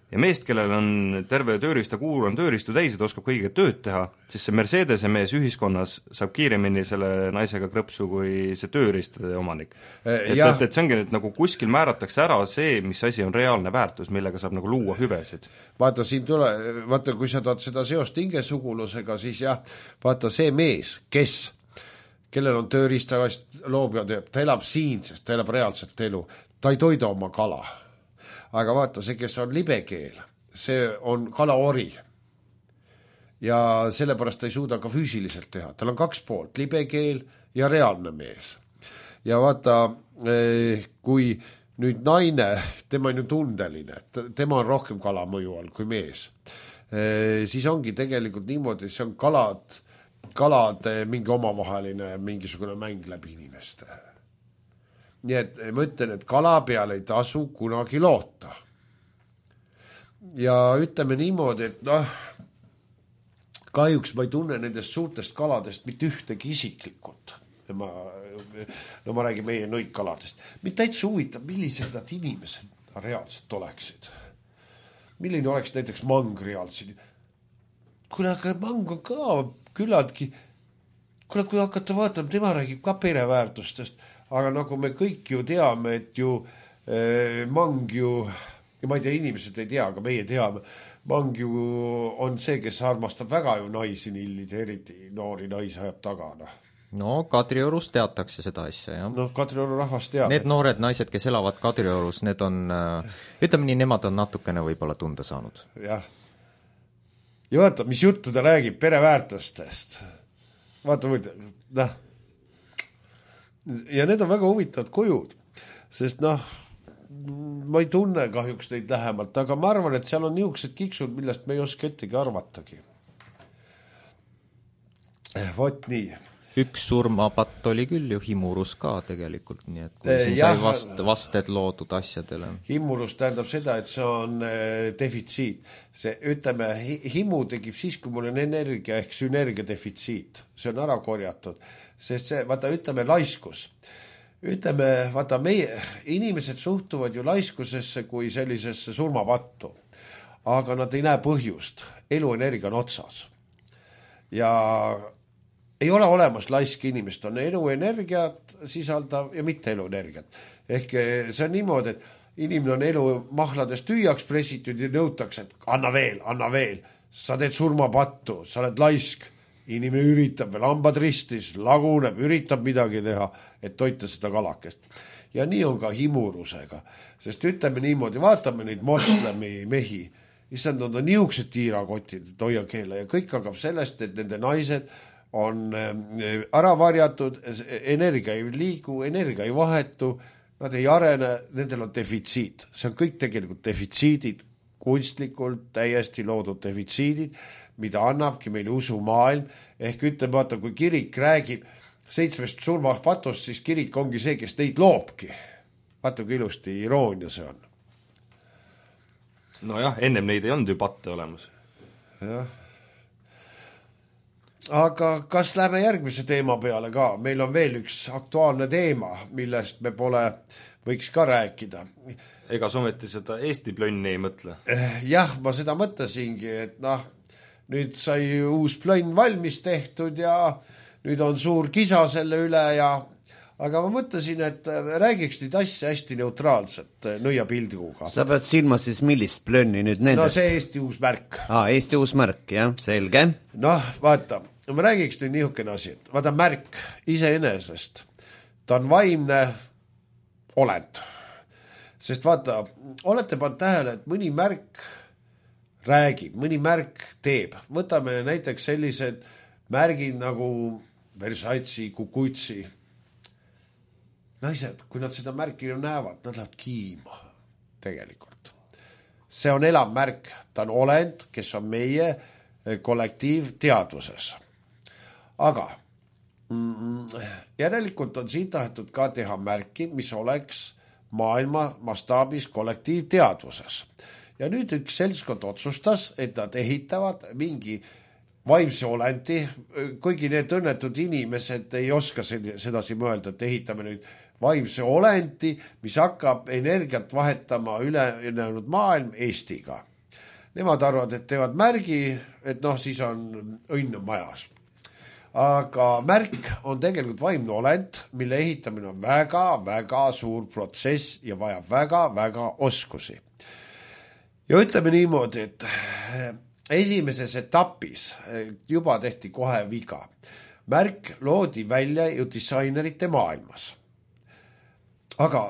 ja meest, kellel on terve tööriista kuur, on tööriistu täis, et oskab kõige tööd teha, siis see Mercedese mees ühiskonnas saab kiiremini selle naisega krõpsu kui see tööriistade omanik. Et, et, et see ongi nüüd nagu kuskil määratakse ära see, mis asi on reaalne väärtus, millega saab nagu luua hüvesid. Vaata, siin tule, vaata, kui sa tahad seda seost hingesugulusega, siis jah, vaata see mees, kes, kellel on tööriistavast loob ja teeb, ta elab siin, sest ta elab reaalset elu, ta ei toida oma kala. Aga vaata, see, kes on libekeel, see on kalaori. Ja sellepärast ta ei suuda ka füüsiliselt teha. Tal on kaks poolt, libekeel ja reaalne mees. Ja vaata, kui nüüd naine, tema on ju tundeline, tema on rohkem kala mõju all kui mees, siis ongi tegelikult niimoodi, see on kalad, kalade mingi omavaheline mingisugune mäng läbi inimeste. Nii et ma ütlen, et kala peal ei tasu kunagi loota. Ja ütleme niimoodi, et noh, kahjuks ma ei tunne nendest suurtest kaladest mitte ühtegi isiklikult. Ma, no ma räägin meie nõidkaladest. Mind täitsa huvitab, millised nad inimesed reaalselt oleksid. Milline oleks näiteks mang reaalselt? Kuule, aga mang on ka küllaltki, kuule, kui hakata vaatama, tema räägib ka pereväärtustest, aga nagu me kõik ju teame, et ju eh, mang ju, ja ma ei tea, inimesed ei tea, aga meie teame, mang ju on see, kes armastab väga ju naisi nillid, eriti noori naisi ajab taga. No, no Kadriorus teatakse seda asja, jah. No Kadrioru rahvas teab. Need noored naised, kes elavad Kadriorus, need on, ütleme nii, nemad on natukene võib-olla tunda saanud. Jah. Ja vaata, mis juttu ta räägib pereväärtustest. Vaata, noh, ja need on väga huvitavad kujud, sest noh, ma ei tunne kahjuks neid lähemalt, aga ma arvan, et seal on niisugused kiksud, millest me ei oska ettegi arvatagi. Vot nii. Üks surmapatt oli küll ju himurus ka tegelikult, nii et kui siin ja, sai vast, vasted loodud asjadele. Himurus tähendab seda, et see on defitsiit. See, ütleme, himu tekib siis, kui mul on energia ehk sünergia defitsiit. See on ära korjatud, sest see, vaata, ütleme, laiskus. Ütleme, vaata, meie inimesed suhtuvad ju laiskusesse kui sellisesse surmapattu, aga nad ei näe põhjust. Eluenergia on otsas. Ja ei ole olemas laisk inimest, on eluenergiat sisaldav ja mitte eluenergiat. Ehk see on niimoodi, et inimene on elu mahladest tüüjaks pressitud ja nõutakse, et anna veel, anna veel. Sa teed surmapattu, sa oled laisk. Inimene üritab veel hambad ristis, laguneb, üritab midagi teha, et toita seda kalakest. Ja nii on ka himurusega. Sest ütleme niimoodi, vaatame neid moslemi mehi. Issand, nad on niisugused tiirakotid, et hoia keele. Ja kõik hakkab sellest, et nende naised on ära varjatud, energia ei liigu, energia ei vahetu, nad ei arene, nendel on defitsiit. See on kõik tegelikult defitsiidid, kunstlikult täiesti loodud defitsiidid, mida annabki meile usumaailm. Ehk ütleme, vaata, kui kirik räägib seitsmest surmapatust, siis kirik ongi see, kes teid loobki. Vaata, kui ilusti iroonia see on. Nojah, ennem neid ei olnud ju patte olemas. Jah. Aga kas läheme järgmise teema peale ka? Meil on veel üks aktuaalne teema, millest me pole, võiks ka rääkida. Ega someti seda Eesti plönni ei mõtle? Jah, ma seda mõtlesingi, et noh, nüüd sai uus plönn valmis tehtud ja nüüd on suur kisa selle üle ja aga ma mõtlesin, et räägiks nüüd asja hästi neutraalselt nõiapildiguga. Sa pead silma siis millist plönni nüüd nendest? No see Eesti uus märk. Aa, Eesti uus märk, jah, selge. Noh, vaata, ma räägiks nüüd niisugune asi, et vaata märk iseenesest, ta on vaimne olend. Sest vaata, olete pannud tähele, et mõni märk räägib, mõni märk teeb. Võtame näiteks sellised märgid nagu Versace, Kukutsi. Naised, kui nad seda märki näevad, nad lähevad kiima tegelikult. See on elav märk, ta on olend, kes on meie kollektiivteadvuses. Aga mm, järelikult on siin tahetud ka teha märki, mis oleks maailma mastaabis kollektiivteadvuses. Ja nüüd üks seltskond otsustas, et nad ehitavad mingi vaimse olendi, kuigi need õnnetud inimesed ei oska sedasi mõelda, et ehitame nüüd vaimse olendi, mis hakkab energiat vahetama ülejäänud maailm Eestiga. Nemad arvavad, et teevad märgi, et noh, siis on õnn majas. Aga märk on tegelikult vaimne olend, mille ehitamine on väga, väga suur protsess ja vajab väga, väga oskusi. Ja ütleme niimoodi, et esimeses etapis juba tehti kohe viga. Märk loodi välja ju disainerite maailmas. Aga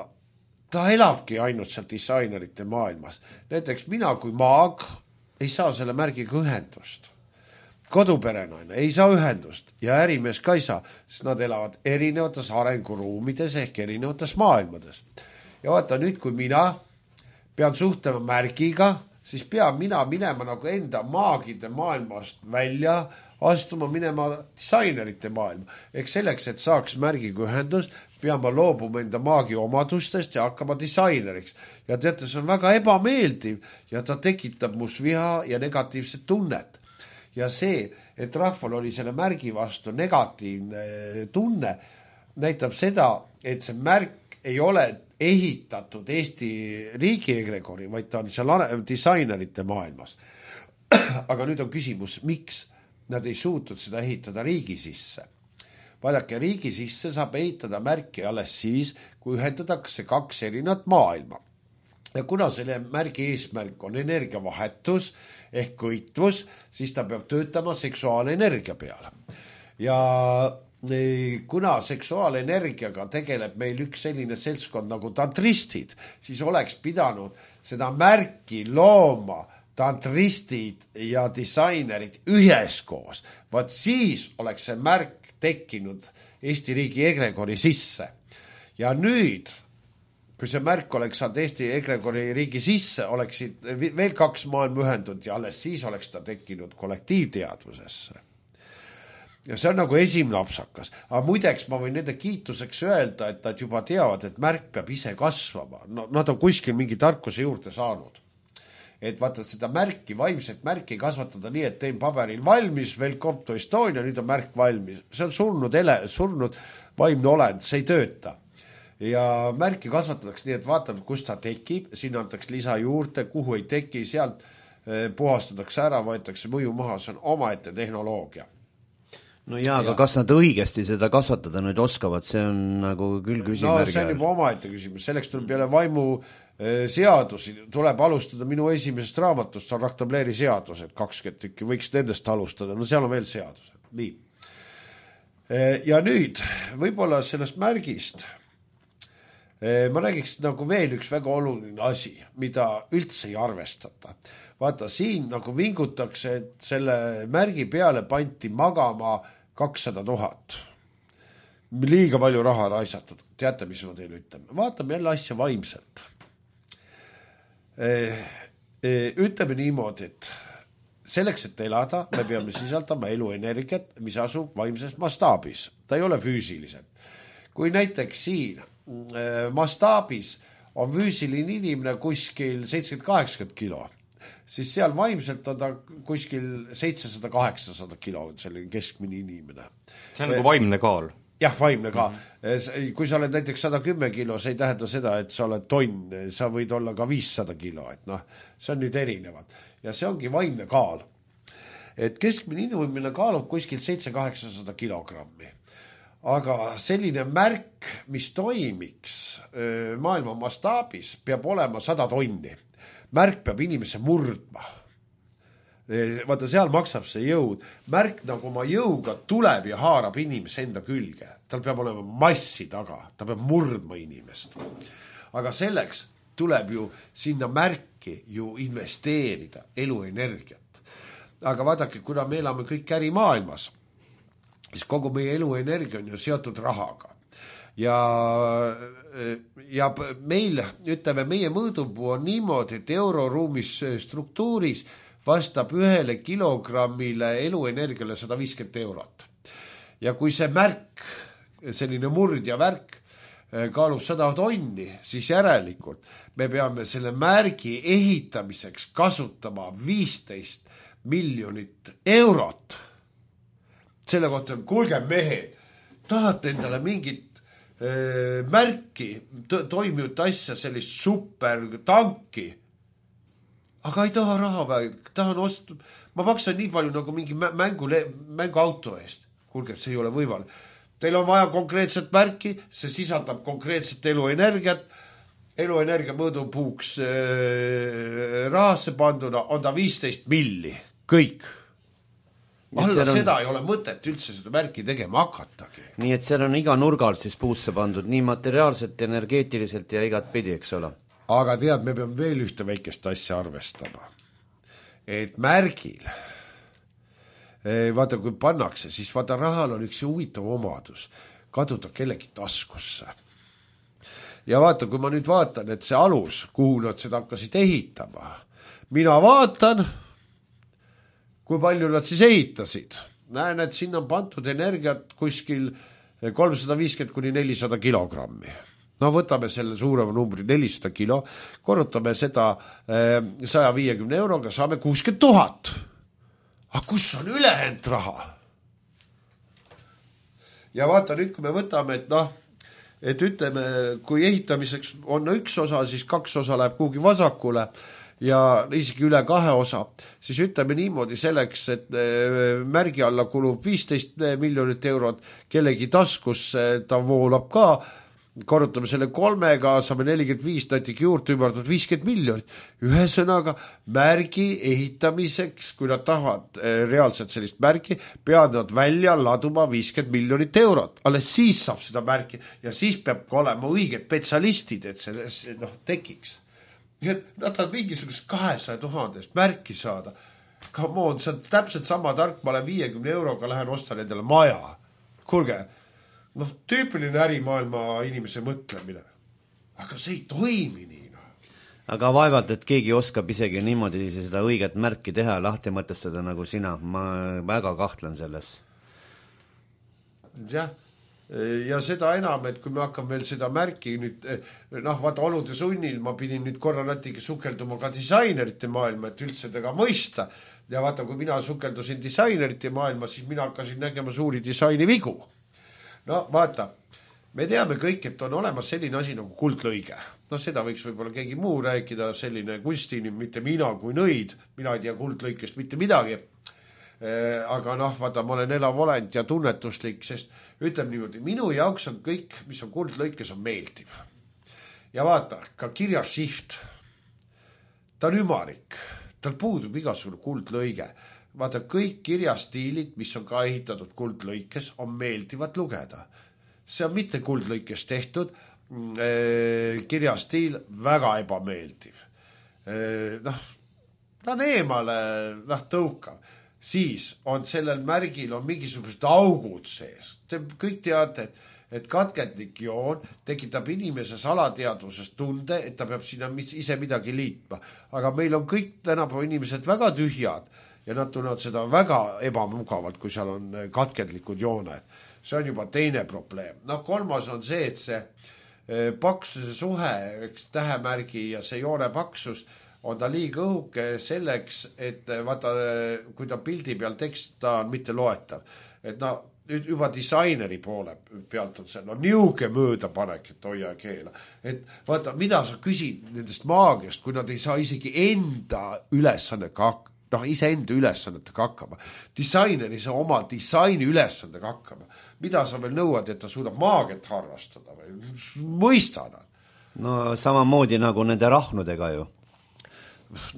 ta elabki ainult seal disainerite maailmas. Näiteks mina kui maag ei saa selle märgiga ühendust. Koduperenaine ei saa ühendust ja ärimees ka ei saa, sest nad elavad erinevates arenguruumides ehk erinevates maailmades. Ja vaata nüüd, kui mina pean suhtlema märgiga, siis pean mina minema nagu enda maagide maailmast välja, astuma minema disainerite maailma. Ehk selleks, et saaks märgiga ühendus, pean ma loobuma enda maagi omadustest ja hakkama disaineriks. Ja teate, see on väga ebameeldiv ja ta tekitab must viha ja negatiivset tunnet. Ja see, et rahval oli selle märgi vastu negatiivne tunne, näitab seda, et see märk ei ole ehitatud Eesti riigi egregori, vaid ta on seal disainerite maailmas. Aga nüüd on küsimus, miks nad ei suutnud seda ehitada riigi sisse. Vaadake, riigi sisse saab ehitada märki alles siis, kui ühendatakse kaks erinat maailma. Ja kuna selle märgi eesmärk on energiavahetus ehk kõitvus, siis ta peab töötama seksuaalenergia peale. Ja kuna seksuaalenergiaga tegeleb meil üks selline seltskond nagu tantristid, siis oleks pidanud seda märki looma tantristid ja disainerid üheskoos. Vaat siis oleks see märk tekkinud Eesti riigi egregori sisse. Ja nüüd, kui see märk oleks saanud Eesti egregori riigi sisse, oleksid veel kaks maailma ühendud ja alles siis oleks ta tekkinud kollektiivteadvusesse. Ja see on nagu esimene apsakas. Aga muideks ma võin nende kiituseks öelda, et nad juba teavad, et märk peab ise kasvama. No, nad on kuskil mingi tarkuse juurde saanud. Et vaata seda märki, vaimset märki kasvatada nii, et tein paberil valmis, Welcome to Estonia, nüüd on märk valmis. See on surnud, ele, surnud vaimne olend, see ei tööta. Ja märki kasvatatakse nii, et vaatame, kus ta tekib, siin antakse lisa juurde, kuhu ei teki, sealt puhastatakse ära, võetakse mõju maha, see on omaette tehnoloogia. No jaa, aga ja. Kas nad õigesti seda kasvatada nüüd oskavad, see on nagu küll küsimärgi. No see on juba omaette küsimus, selleks tuleb peale vaimu seadusi, tuleb alustada minu esimesest raamatust, on Raktableri seadused, kakskümmend tükki, võiks nendest alustada, no seal on veel seadused. Nii. Ja nüüd, võib-olla sellest märgist, ma räägiks nagu veel üks väga oluline asi, mida üldse ei arvestata. Vaata, siin nagu vingutakse, et selle märgi peale panti magama kakssada tuhat. Liiga palju raha raisatud. Teate, mis ma teile ütlen? Vaatame jälle asja vaimselt. Ütleme niimoodi, et selleks, et elada, me peame sisaldama eluenergiat, mis asub vaimses mastaabis. Ta ei ole füüsiliselt. Kui näiteks siin mastaabis on füüsiline inimene kuskil seitsekümmend kaheksakümmend kilo, siis seal vaimselt on ta kuskil seitsesada kaheksasada kilo, selline keskmine inimene. See on nagu vaimne kaal. Jah, vaimne kaal. Mm-hmm. Kui sa oled näiteks sada kümme kilo, see ei tähenda seda, et sa oled tonn, sa võid olla ka viissada kilo, et noh, see on nüüd erinevad. Ja see ongi vaimne kaal. Et keskmine inimene kaalub kuskil seitse kaheksasada kilogrammi. Aga selline märk, mis toimiks maailma mastaabis, peab olema sada tonni. Märk peab inimese murdma. Vaata, seal maksab see jõud. Märk nagu oma jõuga tuleb ja haarab inimese enda külge. Tal peab olema massi taga. Ta peab murdma inimest. Aga selleks tuleb ju sinna märki ju investeerida eluenergiat. Aga vaadake, kuna me elame kõik ärimaailmas, siis kogu meie eluenergia on ju seotud rahaga. Ja, ja meil, ütleme, meie mõõdupuu on niimoodi, et euroruumis struktuuris vastab ühele kilogrammile eluenergiale sada viiskümmend eurot. Ja kui see märk, selline murdja värk, kaalub sada tonni, siis järelikult me peame selle märgi ehitamiseks kasutama viisteist miljonit eurot. Selle kohta on, kuulge mehed, tahate endale mingit äh, märki, toimivat asja, sellist super tanki, aga ei taha raha vähe, tahan osta, ma maksan nii palju nagu mingi mängu, mänguauto eest. Kuulge, see ei ole võimalik. Teil on vaja konkreetset märki, see sisaldab konkreetset eluenergiat, eluenergia mõõdupuuks äh, rahasse panduna on ta viisteist milli, kõik. Alla on... seda ei ole mõtet üldse seda märki tegema hakatagi. Nii et seal on iga nurgalt siis puusse pandud, nii materiaalselt, energeetiliselt ja igat pidi, eks ole. Aga tead, me peame veel ühte väikest asja arvestama. Et märgil, vaata kui pannakse, siis vaata rahal on üks huvitav omadus, kaduda kellegi taskusse. Ja vaata, kui ma nüüd vaatan, et see alus, kuhu nad seda hakkasid ehitama, mina vaatan, kui palju nad siis ehitasid. Näen, et siin on pantud energiat kuskil kolmsada viiskümmend kuni nelisada kilogrammi. No võtame selle suurema numbri nelisada kilo, korrutame seda sada viiskümmend euroga, saame kuuskümmend tuhat. Aga kus on ülejäänud raha? Ja vaata nüüd, kui me võtame, et noh, et ütleme, kui ehitamiseks on üks osa, siis kaks osa läheb kuhugi vasakule, ja isegi üle kahe osa, siis ütleme niimoodi selleks, et märgi alla kulub viisteist miljonit eurot, kellegi taskus ta voolab ka, korrutame selle kolmega, saame nelikümmend viis, näiteks juurde ümardud viiskümmend miljonit. Ühesõnaga, märgi ehitamiseks, kui nad tahavad reaalselt sellist märgi, peavad nad välja laduma viiskümmend miljonit eurot. Alles siis saab seda märki ja siis peab olema õiged spetsialistid, et see noh, tekiks. Nad on mingisugust kahesaja tuhandest märki saada. Come on, see on täpselt sama tark, ma olen viiekümne euroga lähen ostan endale maja. Kuulge, noh, tüüpiline ärimaailma inimese mõtlemine. Aga see ei toimi nii. No. Aga vaevalt, et keegi oskab isegi niimoodi seda õiget märki teha ja lahti mõtestada nagu sina. Ma väga kahtlen selles. Jah, ja seda enam, et kui me hakkame veel seda märki nüüd, noh, vaata olude sunnil ma pidin nüüd korra natuke sukelduma ka disainerite maailma, et üldse tega mõista. Ja vaata, kui mina sukeldusin disainerite maailma, siis mina hakkasin nägema suuri disaini vigu. No vaata, me teame kõik, et on olemas selline asi nagu kuldlõige. No seda võiks võib-olla keegi muu rääkida, selline kunstinim, mitte mina kui nõid. Mina ei tea kuldlõikest mitte midagi. Eh, aga noh, vaata, ma olen elav olend ja tunnetuslik, sest ütleme niimoodi, minu jaoks on kõik, mis on kuldlõikes, on meeldiv. Ja vaata, ka kirjasift, ta on ümarik, tal puudub igasugune kuldlõige. Vaata, kõik kirjastiilid, mis on ka ehitatud kuldlõikes, on meeldivad lugeda. See on mitte kuldlõikes tehtud, kirjastiil väga ebameeldiv. Noh, ta on eemale noh, tõukav. Siis on sellel märgil on mingisugused augud sees. Te kõik teate, et, et katkendlik joon tekitab inimeses alateadvuses tunde, et ta peab sinna ise midagi liitma. Aga meil on kõik tänapäeva inimesed väga tühjad ja nad tunnevad seda väga ebamugavalt, kui seal on katkendlikud jooned. See on juba teine probleem. No kolmas on see, et see paksuse suhe, tähemärgi ja see joone paksus on ta liiga õhuke selleks, et vaata, kui ta pildi peal tekst, ta on mitte loetav. Et no, juba disaineri poole pealt on see, no niuke möödapanek, et hoia keela. Et vaata, mida sa küsid nendest maagiast, kui nad ei saa isegi enda ülesannega hakkama. Noh, ise enda ülesannetega hakkama. Disainer ei saa oma disaini ülesannetega hakkama. Mida sa veel nõuad, et ta suudab maagiat harrastada või mõistana? No samamoodi nagu nende rahnudega ju.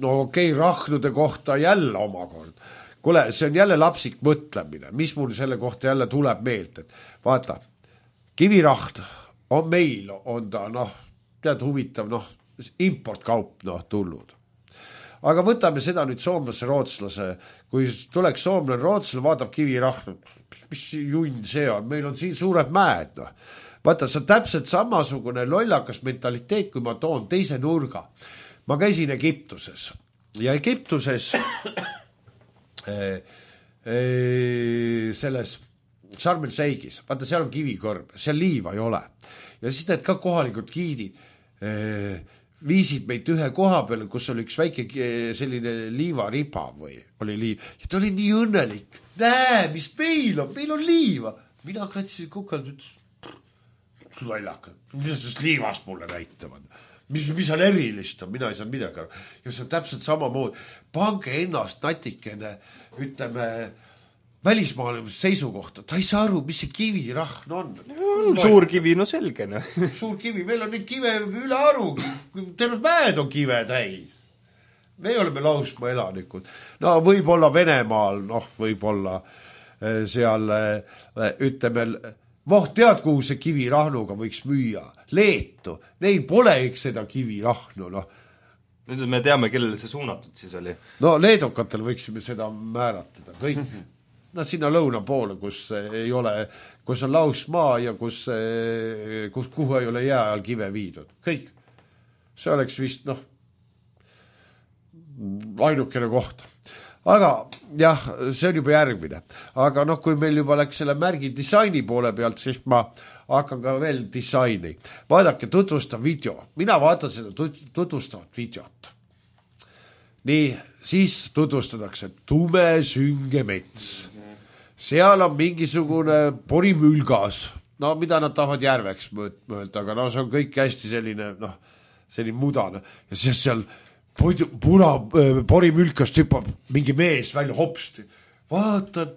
No okei, okay, rahnude kohta jälle omakord. Kule, see on jälle lapsik mõtlemine. Mis mul selle kohta jälle tuleb meelt? Et vaata, kivirahn on meil, on ta, noh, tead huvitav, noh, importkaup, noh, tulnud. Aga võtame seda nüüd soomlase, rootslase. Kui tuleks soomlane, rootslane, vaatab kivirahn, mis junn see on? Meil on siin suured mäed. No. Vaata, see on täpselt samasugune lollakas mentaliteet, kui ma toon teise nurga. Ma käisin Egiptuses ja Egiptuses äh, äh, selles Sharm el Sheikis, vaata, seal on kivikõrb, seal liiva ei ole. Ja siis need ka kohalikud giidid äh, viisid meid ühe koha peale, kus oli üks väike selline liivariba või oli liiv. Ja ta oli nii õnnelik. Näe, mis meil on, meil on liiva. Mina kratsin kukalt, ütles, lollaka, mis sellest liivast mulle näitavad? Mis, mis on erilist on, mina ei saa midagi aru. Ja see on täpselt samamoodi. Pange ennast natikene, ütleme, välismaailma seisukohta. Ta ei saa aru, mis see kivirahn on. on suur kivi, no selge. No. Suur kivi, meil on neid kive üle arugi. Terves mäed on kive täis. Me oleme lausmaa elanikud. No võib-olla Venemaal, noh, võib-olla seal, ütleme, voh, tead, kuhu see kivirahnuga võiks müüa? Leetu. Neil pole eks seda kivirahnu, noh. Nüüd me teame, kellele see suunatud siis oli. No leedukatel võiksime seda määratada, kõik. No sinna lõuna poole, kus ei ole, kus on lausmaa ja kus, kus kuhu ei ole jää all kive viidud. Kõik. See oleks vist, noh, ainukene koht. Aga jah, see on juba järgmine. Aga noh, kui meil juba läks selle märgi disaini poole pealt, siis ma hakkan ka veel disaini. Vaadake, tutvustav video. Mina vaatan seda tutvustavat videot. Nii, siis tutvustatakse tume sünge mets. Seal on mingisugune porimülgas. No mida nad tahavad järveks mõelda, aga no see on kõik hästi selline, noh, selline mudane. Ja siis seal puna porimülkast hüppab mingi mees välja hopsti. Vaatan,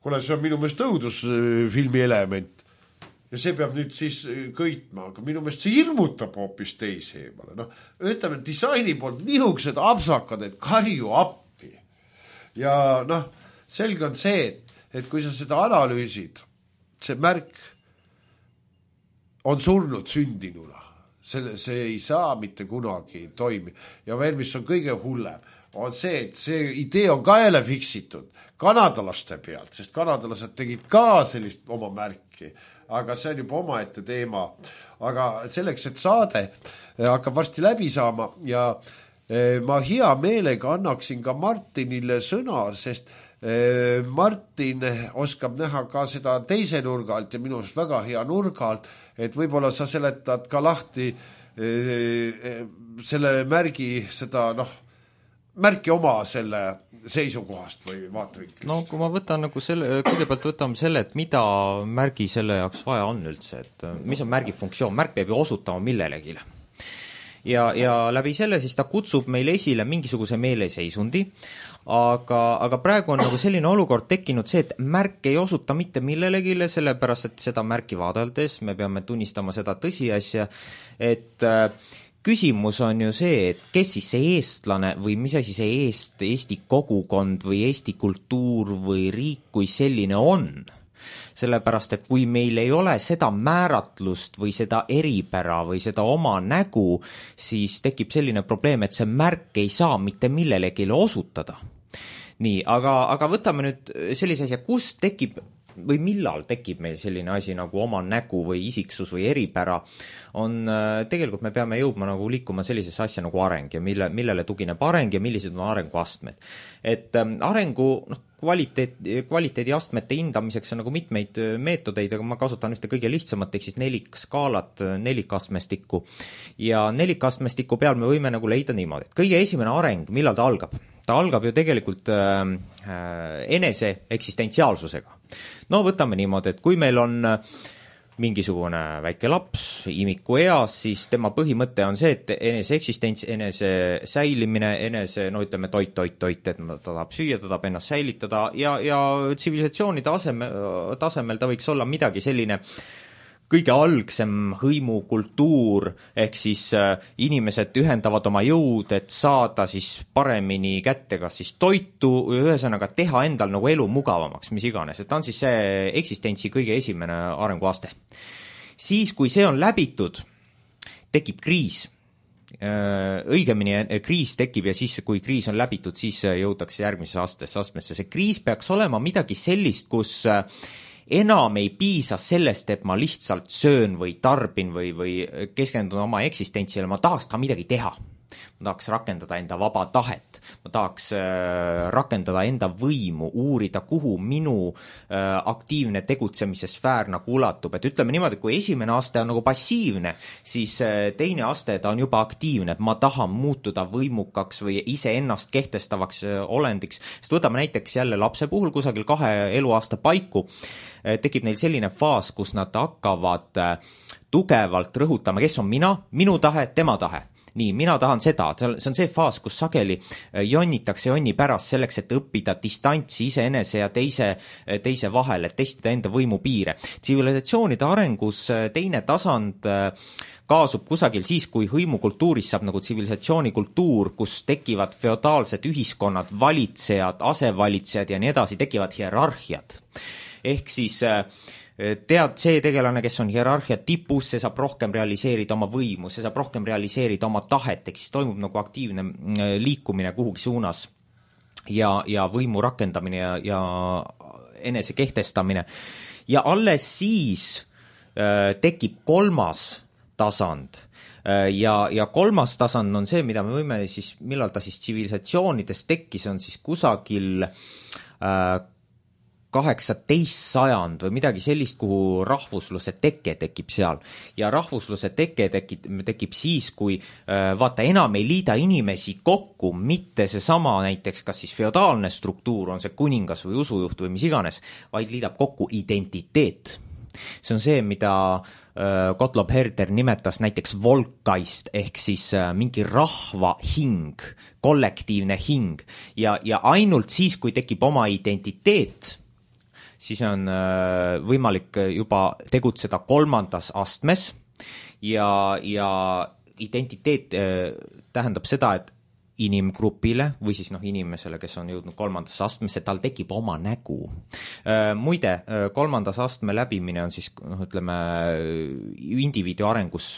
kuna see on minu meelest õudusfilmi element ja see peab nüüd siis kõitma, aga minu meelest see hirmutab hoopis teisi eemale. No, ütleme, disaini poolt niisugused apsakad, et karju appi. Ja noh, selge on see, et, et kui sa seda analüüsid, see märk on surnud sündinuna. Selle, see ei saa mitte kunagi toimi. Ja veel, mis on kõige hullem, on see, et see idee on ka jälle fiksitud kanadalaste pealt, sest kanadalased tegid ka sellist oma märki. aga see on juba omaette teema. Aga selleks, et saade hakkab varsti läbi saama ja ma hea meelega annaksin ka Martinile sõna, sest Martin oskab näha ka seda teise nurga alt ja minu arust väga hea nurga alt, et võib-olla sa seletad ka lahti selle märgi, seda noh, märki oma selle seisukohast või vaatevinklist. No kui ma võtan nagu selle, kõigepealt võtame selle, et mida märgi selle jaoks vaja on üldse, et mis on märgi funktsioon, märk peab ju osutama millelegi. Ja, ja läbi selle siis ta kutsub meil esile mingisuguse meeleseisundi, aga, aga praegu on nagu selline olukord tekkinud see, et märk ei osuta mitte millelegi, sellepärast et seda märki vaadeldes me peame tunnistama seda tõsiasja, et äh, küsimus on ju see, et kes siis see eestlane või mis asi see eest, Eesti kogukond või Eesti kultuur või riik kui selline on. Sellepärast, et kui meil ei ole seda määratlust või seda eripära või seda oma nägu, siis tekib selline probleem, et see märk ei saa mitte millelegi osutada. Nii, aga, aga võtame nüüd sellise asja, kus tekib või millal tekib meil selline asi nagu oma nägu või isiksus või eripära, on tegelikult me peame jõudma nagu liikuma sellisesse asja nagu areng ja mille, millele tugineb areng ja millised on arenguastmed. Et arengu noh, kvaliteet, kvaliteediastmete hindamiseks on nagu mitmeid meetodeid, aga ma kasutan ühte kõige lihtsamat, ehk siis nelikskaalat, nelikastmestikku. Ja nelikastmestiku peal me võime nagu leida niimoodi, et kõige esimene areng, millal ta algab? Ta algab ju tegelikult äh, enese eksistentsiaalsusega. No võtame niimoodi, et kui meil on mingisugune väike laps imiku eas, siis tema põhimõte on see, et enese eksistents, enese säilimine, enese, no ütleme toit, toit, toit, et ta tahab süüa, ta tahab ennast säilitada ja, ja tsivilisatsiooni taseme, tasemel ta võiks olla midagi selline kõige algsem hõimukultuur, ehk siis äh, inimesed ühendavad oma jõud, et saada siis paremini kätte kas siis toitu, ühesõnaga teha endal nagu elu mugavamaks, mis iganes, et ta on siis see eksistentsi kõige esimene arenguaste. Siis, kui see on läbitud, tekib kriis. Õigemini kriis tekib ja siis, kui kriis on läbitud, siis jõutakse järgmise astesse, astmesse. See kriis peaks olema midagi sellist, kus enam ei piisa sellest, et ma lihtsalt söön või tarbin või, või keskendun oma eksistentsile, ma tahaks ka midagi teha. Ma tahaks rakendada enda vaba tahet, ma tahaks äh, rakendada enda võimu, uurida, kuhu minu äh, aktiivne tegutsemise sfäär nagu ulatub. Et ütleme niimoodi, kui esimene aste on nagu passiivne, siis äh, teine aste ta on juba aktiivne, et ma tahan muutuda võimukaks või iseennast kehtestavaks äh, olendiks. Sest võtame näiteks jälle lapse puhul kusagil kahe eluaasta paiku, äh, tekib neil selline faas, kus nad hakkavad äh, tugevalt rõhutama, kes on mina, minu tahe, tema tahe. Nii, mina tahan seda, see on see faas, kus sageli jonnitakse jonni pärast selleks, et õppida distantsi iseenese ja teise, teise vahel, et testida enda võimu piire. Tsivilisatsioonide arengus teine tasand kaasub kusagil siis, kui hõimukultuuris saab nagu tsivilisatsioonikultuur, kus tekivad feodaalsed ühiskonnad, valitsejad, asevalitsejad ja nii edasi, tekivad hierarhiad. Ehk siis tead, see tegelane, kes on hierarhia tipus, see saab rohkem realiseerida oma võimu, see saab rohkem realiseerida oma tahet, ehk siis toimub nagu aktiivne liikumine kuhugi suunas ja, ja võimu rakendamine ja, ja enese kehtestamine. Ja alles siis äh, tekib kolmas tasand äh, ja, ja kolmas tasand on see, mida me võime siis, millal ta siis tsivilisatsioonides tekkis, on siis kusagil äh, kaheksateist sajand või midagi sellist, kuhu rahvusluse teke tekib seal. Ja rahvusluse teke tekib, tekib siis, kui vaata enam ei liida inimesi kokku, mitte see sama näiteks, kas siis feodaalne struktuur, on see kuningas või usujuht või mis iganes, vaid liidab kokku identiteet. See on see, mida Gottlob Herder nimetas näiteks volkaist, ehk siis mingi rahva hing, kollektiivne hing. Ja, ja ainult siis, kui tekib oma identiteet, siis on võimalik juba tegutseda kolmandas astmes ja, ja identiteet tähendab seda, et inimgrupile või siis noh, inimesele, kes on jõudnud kolmandasse astmesse, tal tekib oma nägu. Muide, kolmandas astme läbimine on siis, noh, ütleme, indiviidi arengus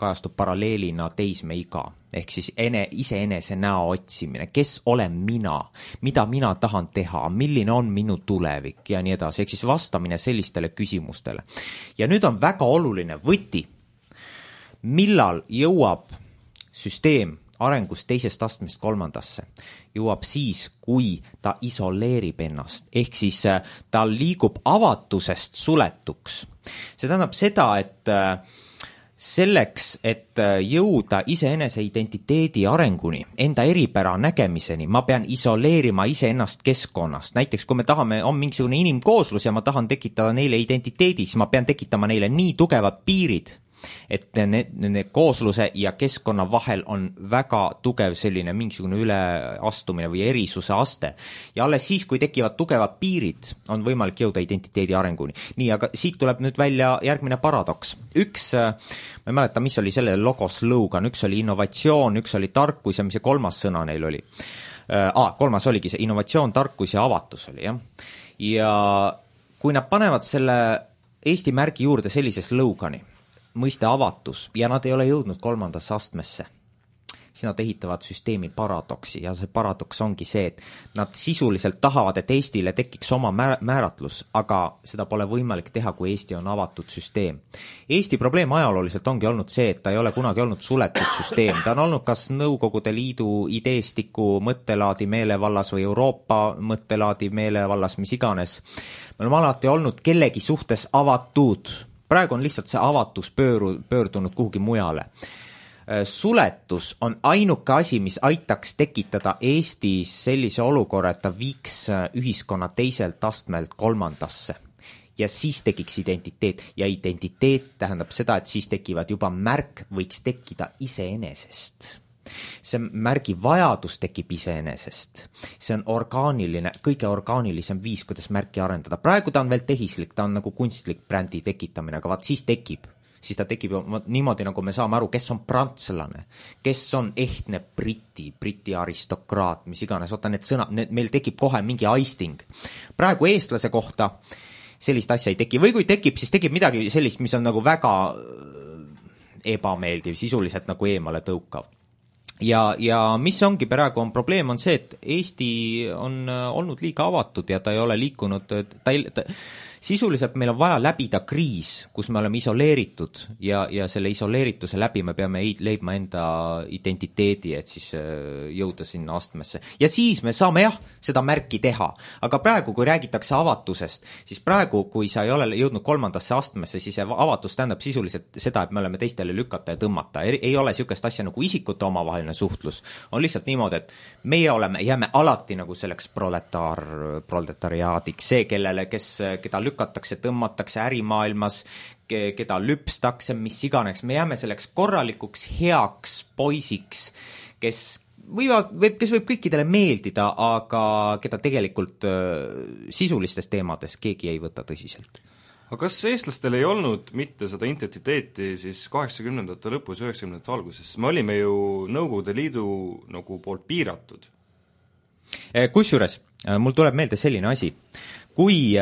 kajastub paralleelina teismeiga, ehk siis ene, iseenese näo otsimine, kes olen mina, mida mina tahan teha, milline on minu tulevik ja nii edasi, ehk siis vastamine sellistele küsimustele. Ja nüüd on väga oluline võti, millal jõuab süsteem arengus teisest astmest kolmandasse, jõuab siis, kui ta isoleerib ennast, ehk siis ta liigub avatusest suletuks. See tähendab seda, et selleks, et jõuda iseenese identiteedi arenguni, enda eripära nägemiseni, ma pean isoleerima iseennast keskkonnast. Näiteks, kui me tahame, on mingisugune inimkooslus ja ma tahan tekitada neile identiteedi, siis ma pean tekitama neile nii tugevad piirid, et need, need koosluse ja keskkonna vahel on väga tugev selline mingisugune üleastumine või erisuse aste. Ja alles siis, kui tekivad tugevad piirid, on võimalik jõuda identiteedi arenguni. Nii, aga siit tuleb nüüd välja järgmine paradoks. Üks, ma ei mäleta, mis oli selle logo slogan, üks oli innovatsioon, üks oli tarkus ja mis see kolmas sõna neil oli. Ah, kolmas oligi see innovatsioon, tarkus ja avatus oli, jah. Ja kui nad panevad selle Eesti märgi juurde sellise slogani, mõiste avatus, ja nad ei ole jõudnud kolmandasse astmesse, siis nad ehitavad süsteemi paradoksi ja see paradoks ongi see, et nad sisuliselt tahavad, et Eestile tekiks oma määratlus, aga seda pole võimalik teha, kui Eesti on avatud süsteem. Eesti probleem ajalooliselt ongi olnud see, et ta ei ole kunagi olnud suletud süsteem, ta on olnud kas Nõukogude Liidu ideestiku mõttelaadi meelevallas või Euroopa mõttelaadi meelevallas, mis iganes. Me oleme alati olnud kellegi suhtes avatud. Praegu on lihtsalt see avatus pööru, pöördunud kuhugi mujale. Suletus on ainuke asi, mis aitaks tekitada Eestis sellise olukorra, et ta viiks ühiskonna teiselt astmelt kolmandasse. Ja siis tekiks identiteet. Ja identiteet tähendab seda, et siis tekivad juba märk, võiks tekkida iseenesest. See märgi vajadus tekib iseenesest. See on orgaaniline, kõige orgaanilisem viis, kuidas märki arendada. Praegu ta on veel tehislik, ta on nagu kunstlik brändi tekitamine, aga vaat siis tekib. Siis ta tekib niimoodi, nagu me saame aru, kes on prantslane, kes on ehtne briti, briti aristokraat, mis iganes. Oota, need sõnad, need, meil tekib kohe mingi aisting. Praegu eestlase kohta sellist asja ei teki. Või kui tekib, siis tekib midagi sellist, mis on nagu väga ebameeldiv, sisuliselt nagu eemale tõukav. Ja, ja mis ongi praegu on probleem on see, et Eesti on olnud liiga avatud ja ta ei ole liikunud, ta ei, ta, sisuliselt meil on vaja läbida kriis, kus me oleme isoleeritud ja, ja selle isoleerituse läbi me peame leidma enda identiteedi, et siis jõuda sinna astmesse. Ja siis me saame jah, seda märki teha. Aga praegu, kui räägitakse avatusest, siis praegu, kui sa ei ole jõudnud kolmandasse astmesse, siis avatus tähendab sisuliselt seda, et me oleme teistele lükata ja tõmmata. Ei, ei ole sükest asja nagu isikute omavaheline suhtlus. On lihtsalt niimoodi, et meie oleme, jääme alati nagu selleks proletaar, proletariaadiks, see, kellele, kes, keda lükatakse, tõmmatakse ärimaailmas, keda lüpstakse, mis iganes. Me jääme selleks korralikuks heaks poisiks, kes võivad, võib, kes võib kõikidele meeldida, aga keda tegelikult sisulistes teemades keegi ei võta tõsiselt. Aga kas eestlastel ei olnud mitte seda identiteeti siis kaheksakümnendate lõpus, üheksakümnendate alguses? Me olime ju Nõukogude Liidu nagu poolt piiratud. Kusjuures, mul tuleb meelde selline asi. Kui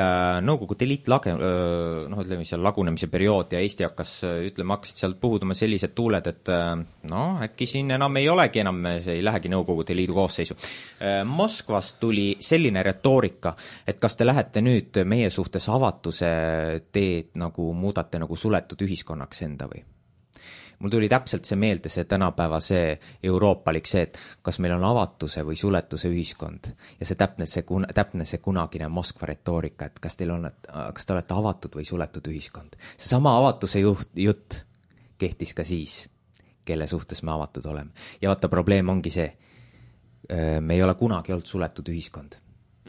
Nõukogude Liit lage, noh, ütleme seal lagunemise periood ja Eesti hakkas, ütleme, hakkasid sealt puhuduma sellised tuuled, et no, äkki siin enam ei olegi enam, see ei lähegi Nõukogude Liidu koosseisu. Moskvast tuli selline retoorika, et kas te lähete nüüd meie suhtes avatuse teed nagu muudate nagu suletud ühiskonnaks enda või? Mul tuli täpselt see meelde, see tänapäeva see euroopalik see, et kas meil on avatuse või suletuse ühiskond ja see täpne see, täpne see kunagine Moskva retoorika, et kas teil on, kas te olete avatud või suletud ühiskond. See sama avatuse juht, jutt kehtis ka siis, kelle suhtes me avatud oleme. Ja vaata, probleem ongi see, me ei ole kunagi olnud suletud ühiskond.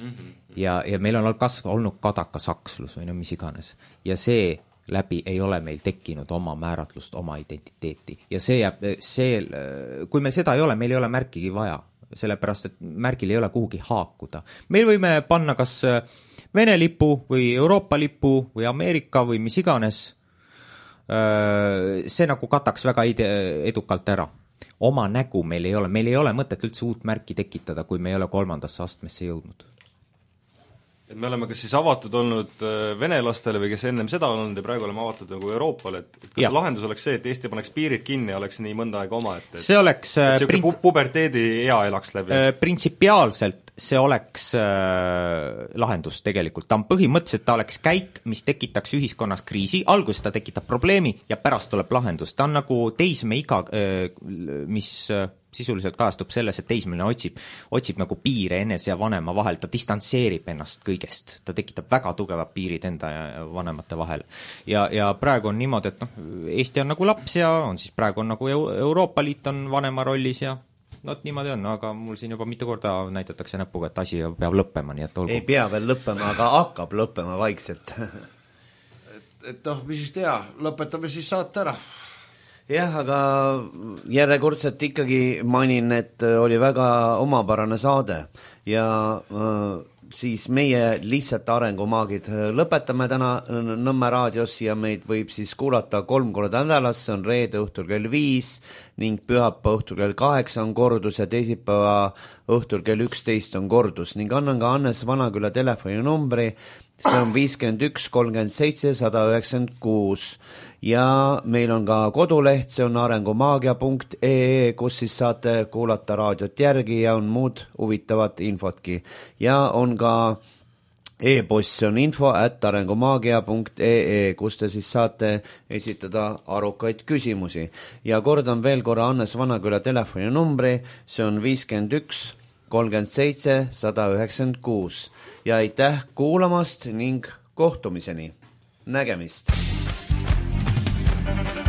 Mm-hmm. Ja, ja meil on kasv, olnud kadaka sakslus või no mis iganes. Ja see läbi ei ole meil tekkinud oma määratlust, oma identiteeti. Ja see jääb, see, kui meil seda ei ole, meil ei ole märkigi vaja, sellepärast, et märgil ei ole kuhugi haakuda. Meil võime panna kas Vene lipu või Euroopa lipu või Ameerika või mis iganes. See nagu kataks väga edukalt ära. oma nägu meil ei ole, meil ei ole mõtet üldse uut märki tekitada, kui me ei ole kolmandasse astmesse jõudnud. Et me oleme kas siis avatud olnud venelastele või kes ennem seda olnud ja praegu oleme avatud nagu Euroopale, et kas ja. lahendus oleks see, et Eesti paneks piirid kinni ja oleks nii mõnda aega oma, et, et see oleks et see prints... puberteedi ea elaks läbi? Printsipiaalselt see oleks äh, lahendus tegelikult. Ta on põhimõtteliselt, ta oleks käik, mis tekitaks ühiskonnas kriisi, alguses ta tekitab probleemi ja pärast tuleb lahendus. Ta on nagu teisme iga, äh, mis äh, sisuliselt kajastub selles, et teismeline otsib, otsib nagu piire enese ja vanema vahel, ta distantseerib ennast kõigest, ta tekitab väga tugevad piirid enda ja vanemate vahel. Ja, ja praegu on niimoodi, et noh, Eesti on nagu laps ja on siis praegu on nagu Euroopa Liit on vanema rollis ja no niimoodi on, aga mul siin juba mitu korda näitatakse näpuga, et asi peab lõppema, nii et olgu. Ei pea veel lõppema, aga hakkab lõppema vaikselt. et, et noh, mis siis teha, lõpetame siis saate ära. Jah, aga järjekordselt ikkagi mainin, et oli väga omapärane saade ja äh, siis meie lihtsalt arengumaagid lõpetame täna Nõmme raadios ja meid võib siis kuulata kolm korda nädalas, see on reede õhtul kell viis ning pühapäeva õhtul kell kaheksa on kordus ja teisipäeva õhtul kell üksteist on kordus ning annan ka Hannes Vanaküla telefoninumbri, see on viiskümmend üks kolmkümmend seitse sada üheksakümmend kuus ja meil on ka koduleht, see on arengumaagia punkt ee, kus siis saate kuulata raadiot järgi ja on muud huvitavat infotki. Ja on ka e-post, see on info at arengumaagia punkt ee, kus te siis saate esitada arukaid küsimusi. Ja kordan veel korra Hannes Vanaküla telefoninumbri, see on viiskümmend üks kolmkümmend seitse sada üheksakümmend kuus. Ja aitäh kuulamast ning kohtumiseni. Nägemist! Thank you.